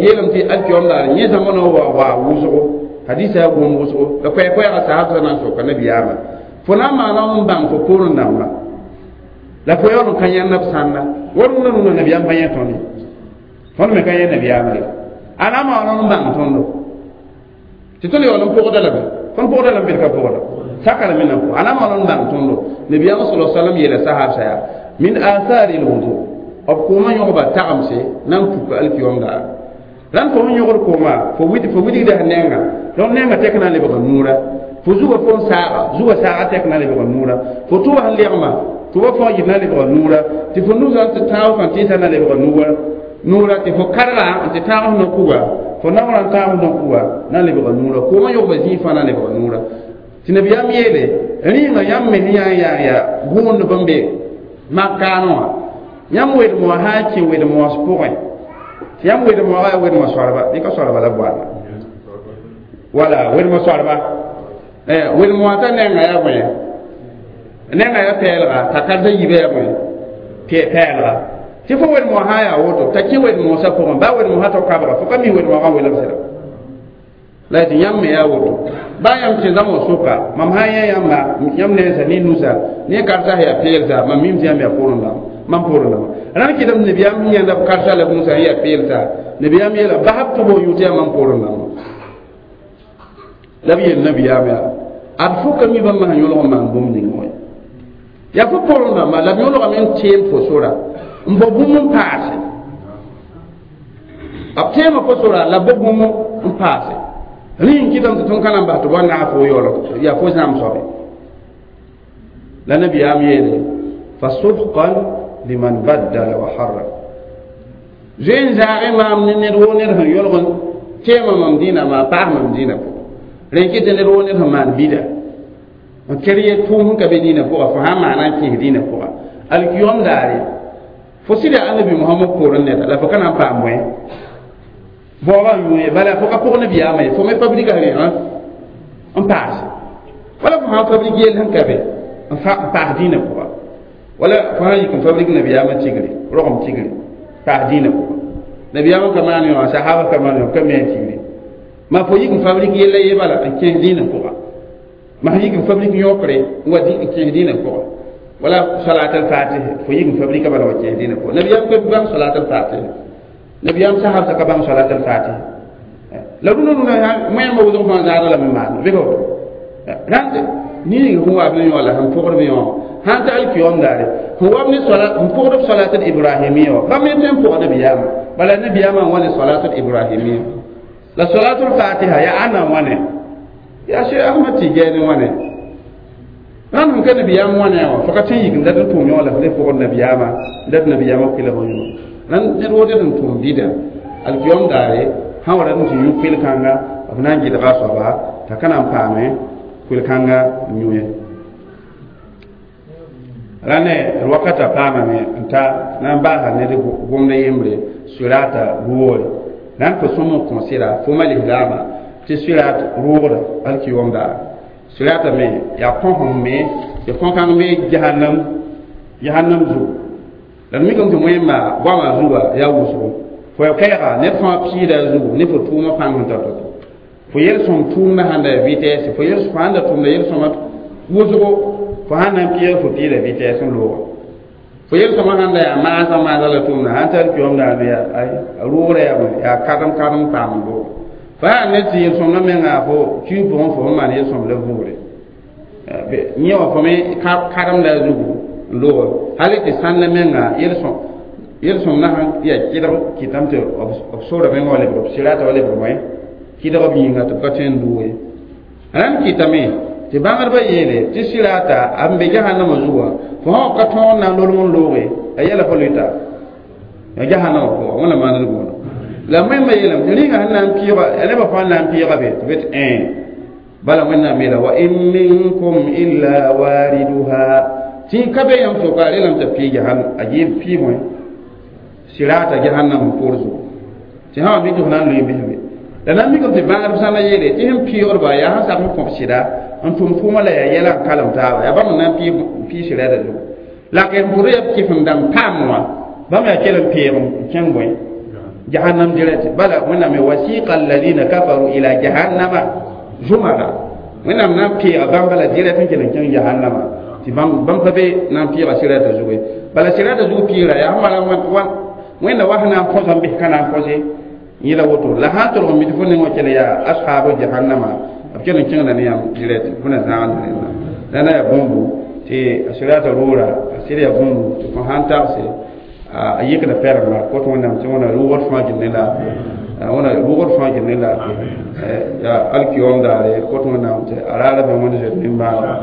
yeelame tɩ alkiyom daar yẽ zãma wa wa wʋsgo hadisa yaa gom wʋsgo la koɛɛ-koɛɛgã sahabsã na n soka nabiyaamã fo na n maana n bãng fo poorẽ dãmba la fo yaool n ka yãnd b sãnda wa rũnã rũnã nabiyaam pa yẽ tõnd ye tõnd me ka yẽ nabiyaamã ye a na n maana n bãng tõndo Tɩ tõnd yaool n pʋgda lame tõnd pʋgda lame bɩ ka pʋgda saka la me nan pʋg a na maal n bãng tõndo nabiyaamã sala salam yeela sahab yaa min athari lwudu b koomã yõgba tagemse na n puka alkiyom daar rãnd fo sẽn yõgd kooma fo widgda nenga donc nenga tɛk na n lebga nuura fo zuga fo n saaga zuga saaga tɛk na n lebga nuura fo tʋba sẽn legma tʋba fo yɩ na lebga nuura tɩ fo nusã tɩ tãag sã tɩɩsã na lebga nuura nuura tɩ fo karga n tɩ tãag f no-kuga fo naoorã n tãag f no-kuga na n lebga nuura koomã yõgba zĩig fãa na n lebga nuura tɩ nabiyaam yeele rĩinga yãmb me sẽn yaa n yaa yaa gũudb n be mak-kaanẽ wã yãmb wedem wã sã n kẽ wedem-moos pʋgẽ tɩ yãmb wedem-moogã yaa wedemã soarba bɩ ka soarba la boanda wala wedemã soarba wedem wã t'a nenga yaa bõe nenga yaa pɛɛlga t'a karsa yiibã yaa bõe pɛɛlga tɩ fo wedem wã sã n yaa woto t'a kẽ wedem-moosã pʋgẽ baa wedem-moosã tao kabga fo ka mi wedem-moogã welem sɩda la tɩ yãmb me yaa woto baa yãmb kẽ zãmsg sʋka mam sã n yã yãmba yãmb nensa ne nusa ne karsa sẽn yaa peelsa mam mim tɩ yãmb yaa poorẽ dãmba mam poorẽ dãmba rãnd kɩtame nabiyaam sẽn yãnda b karsa la b nusa n yaa peelsa nabiyaam yeela basb tɩ bo yũ tɩ yaa mam poorẽ dãmba la b yeel nabiyaam yaa ad fo ka mi bãmb sẽn yõlg n maan bũmb ning wã yaa fo poorẽ dãmba la b yõlgame n teem fo sora n bao bũmb n paase b teema fo sora la b bao bũmb n paase rẽ n kɩtame tɩ tõnd ka na n bas tɩ b wa naag fo yaool yaa fo zãm soabe la nabiyaam yeele fasuhqan liman baddala wa harraf zoe n zaagẽ maam ne ned woo ned sẽn yõlg n teema mam dĩinã maa paas mam dĩinã pʋgẽ rẽ n kɩtɩ ned woo ned sẽn maan bida n ker ye tʋʋm sẽn ka be dĩinã pʋga fo sã n maana n kẽes dĩinã pʋga alkiyom daare fo sɩda annabi mohamad poorẽ neda la fo ka na n paam bõe baoobã n yũ ye bala fo ka pʋg nabiyaamã ye fo me fabriga rẽ n paase wala fo sã n fabrik yell sẽn ka be n paas dĩinã pʋga wala fo sã n yik n fabrik nabiyaamã tigre rogem tigre paas dĩinã pʋga nabiyaamã ka maan yõ sahaba ka maan yõ ka me a tigre ma fo yik n fabrik yella ye bala n kẽes dĩinã pʋga ma sẽn yik n fabrik yõkre n wa n kẽes dĩinã pʋga wala salat al-fatih fo yik n fabrika bala wa kẽes dĩinã pʋga nabiyaam ka bãng salat al-fatih nabiyaam sahab ka bãng salat al-fatih la rũnã rũnã wẽnnaamã wʋsg fãa zaada lame maan bɩ ka woto rãnd ning sẽn wa b ne yõ la sẽn pʋgd b yõ sãn ta alkiyom daare sẽn wa b ne sẽn pʋgd b salat al-ibrahimiya wã bãmb me tõe n pʋgd nabiyaamã bala nabiyaamã n wa ne salat al-ibrahimiya la salat al-fatiha yaa ãnna n wa ne yaa Cheikh Ahmad Tijani wãne rãnd sẽn ka nabiyaam wãne wã fo ka tõe n yik n dat n tʋʋm yõ la f le pʋgd nabiyaamã n dat nabiyaamã koelg n yõ rãnd ned woo ned n tʋʋm bida alkiyom daare sã wa rat n tɩ yũ koel-kãnga b na n gɩdga a soaba t'a ka na n paame koel-kãnga n yũ ye rãne d wakata paamame n ta na n baasa ned gomda yembre sirata rʋʋgre rãnd fo sõm n kõ sɩda fo ma lislaamã tɩ sirat rʋʋgda alkiyom daar sirata me yaa kõsem me tɩ kõ-kãng me jahannam jahannam zugu la d mikame tɩ wẽnma goamã zuga yaa wʋsgo fo ya kɛɛga ned fãa piida zugu ne fo tʋʋmã pãng sẽn tar to fo yel-sõm tʋʋmdã sãn da ya vitesse fo yel fo sãn da tʋmda yel-sõma wʋsgo fo sãn na n pɩɩg fo piida vitesse n looga fo yel-sõmã sãn da yaa maasã maasã la tʋʋmda sãn tar kiyom daane yaa a rʋʋgrã yaa bõe yaa kadem kadem paam n looga fo yaa ned tɩ yel-sõmdã menga fo kiu pʋgẽ fo sẽn maan yel-sõm la vʋʋre yẽ wã fo me kademda zugu n looga hali tɩ sãnda menga yel-sõm yel-sõmdã sãn yaa kɩdg kɩtame tɩ b sora menga wa lebg b sɩrata wa lebg bõe kɩdg b yĩnga tɩ b ka tõe n doog ye rãnd kɩtame tɩ bãngdbã yeele tɩ sɩrata a n be jahannamã zugã fo sã ka tõog n na n lolg n looge a yɛla fo lʋɩta ya jahannamã pʋga wẽnna maand gũuda la wẽnnaamã yeelame tɩ rĩnga sẽn na n pɩɩga a nebã fãa n na n pɩɩga be tɩ be tɩ ẽ bala wẽnnaam yeela wa in minkum illa wariduha tɩ ka be yãmb sʋka a relame t'a pɩɩ jahan a yɩ pɩ bõe sirata jahannam poor zugu tɩ sã wa mi tɩ f na n lʋɩ bisbe la na n mikame tɩ bãngdb sã na yeele tɩ sẽn pɩɩgdba yaa sẽn sak n kõb sɩda n tʋm tʋʋmã la yaa yɛla n kalem taaba yaa bãmb n na n pɩɩ sɩrata zugu la k n pʋd yaa kɩf n dãmb paam wã bãmb yaa kell n peeg n kẽng bõe jahannam direct bala wẽnnaam ye wasiqa alladina kafaru ila jahannama zumara wẽnnaam na n peega bãmba la direct n kell n kẽng jahannama tɩ bãmb pa be na n pɩɩga sɩrata zugu ye bala sɩrata zug pɩɩgra yaa sẽn mala wẽnda wa sẽn na n põsa n bɩs ka na n põse Yẽla woto la sã n tolg n mid fo neng wã kell yaa ashabu jahannama b kell n kẽngda ne yãmb direct fo na zãagd rẽnda la na yaa bũmbu tɩ a sirata rʋʋra a sɩd yaa bũmbu tɩ fo sãn tagse a yɩkda pɛremba kot wẽnnaam tɩ wẽna rʋʋgd fãa gil ne laafɩ wẽna rʋʋgd fãa gil ne laafɩ yaa alkiyom daare kot wẽnnaam tɩ a raara be wẽnd zoet nimbãanega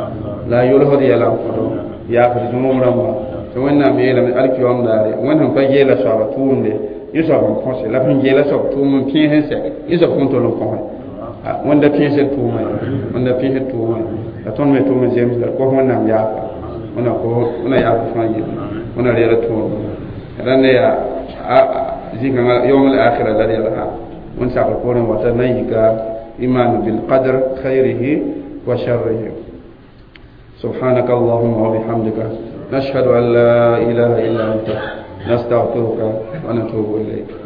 la a yolsd yɛla n kõdo yaafd zũnug rãmba tɩ wẽnnaam yeelame alkiyom daare wẽnd sẽn pa geela soaba tʋʋmde yẽ soab n põse la sẽn geela soab tʋʋm n pẽes n sɛ yẽ soab sẽn tol n põse wẽnda pẽesd tʋʋma ye wẽnda pẽesd tʋʋma ye la tõnd me tʋʋm n zems la d kos wẽnnaam yaafa wẽna ko wẽna yaafa fãa yelle wẽna reeg tʋʋm rãnd yaa zĩ-kãngã yom al-akhira la d yɛlsa wẽnd sakr poorẽ wata na n yika iman bilqadr khayrihi wa sharrihi. سبحانك اللهم وبحمدك نشهد أن لا إله إلا أنت نستغفرك ونتوب إليك.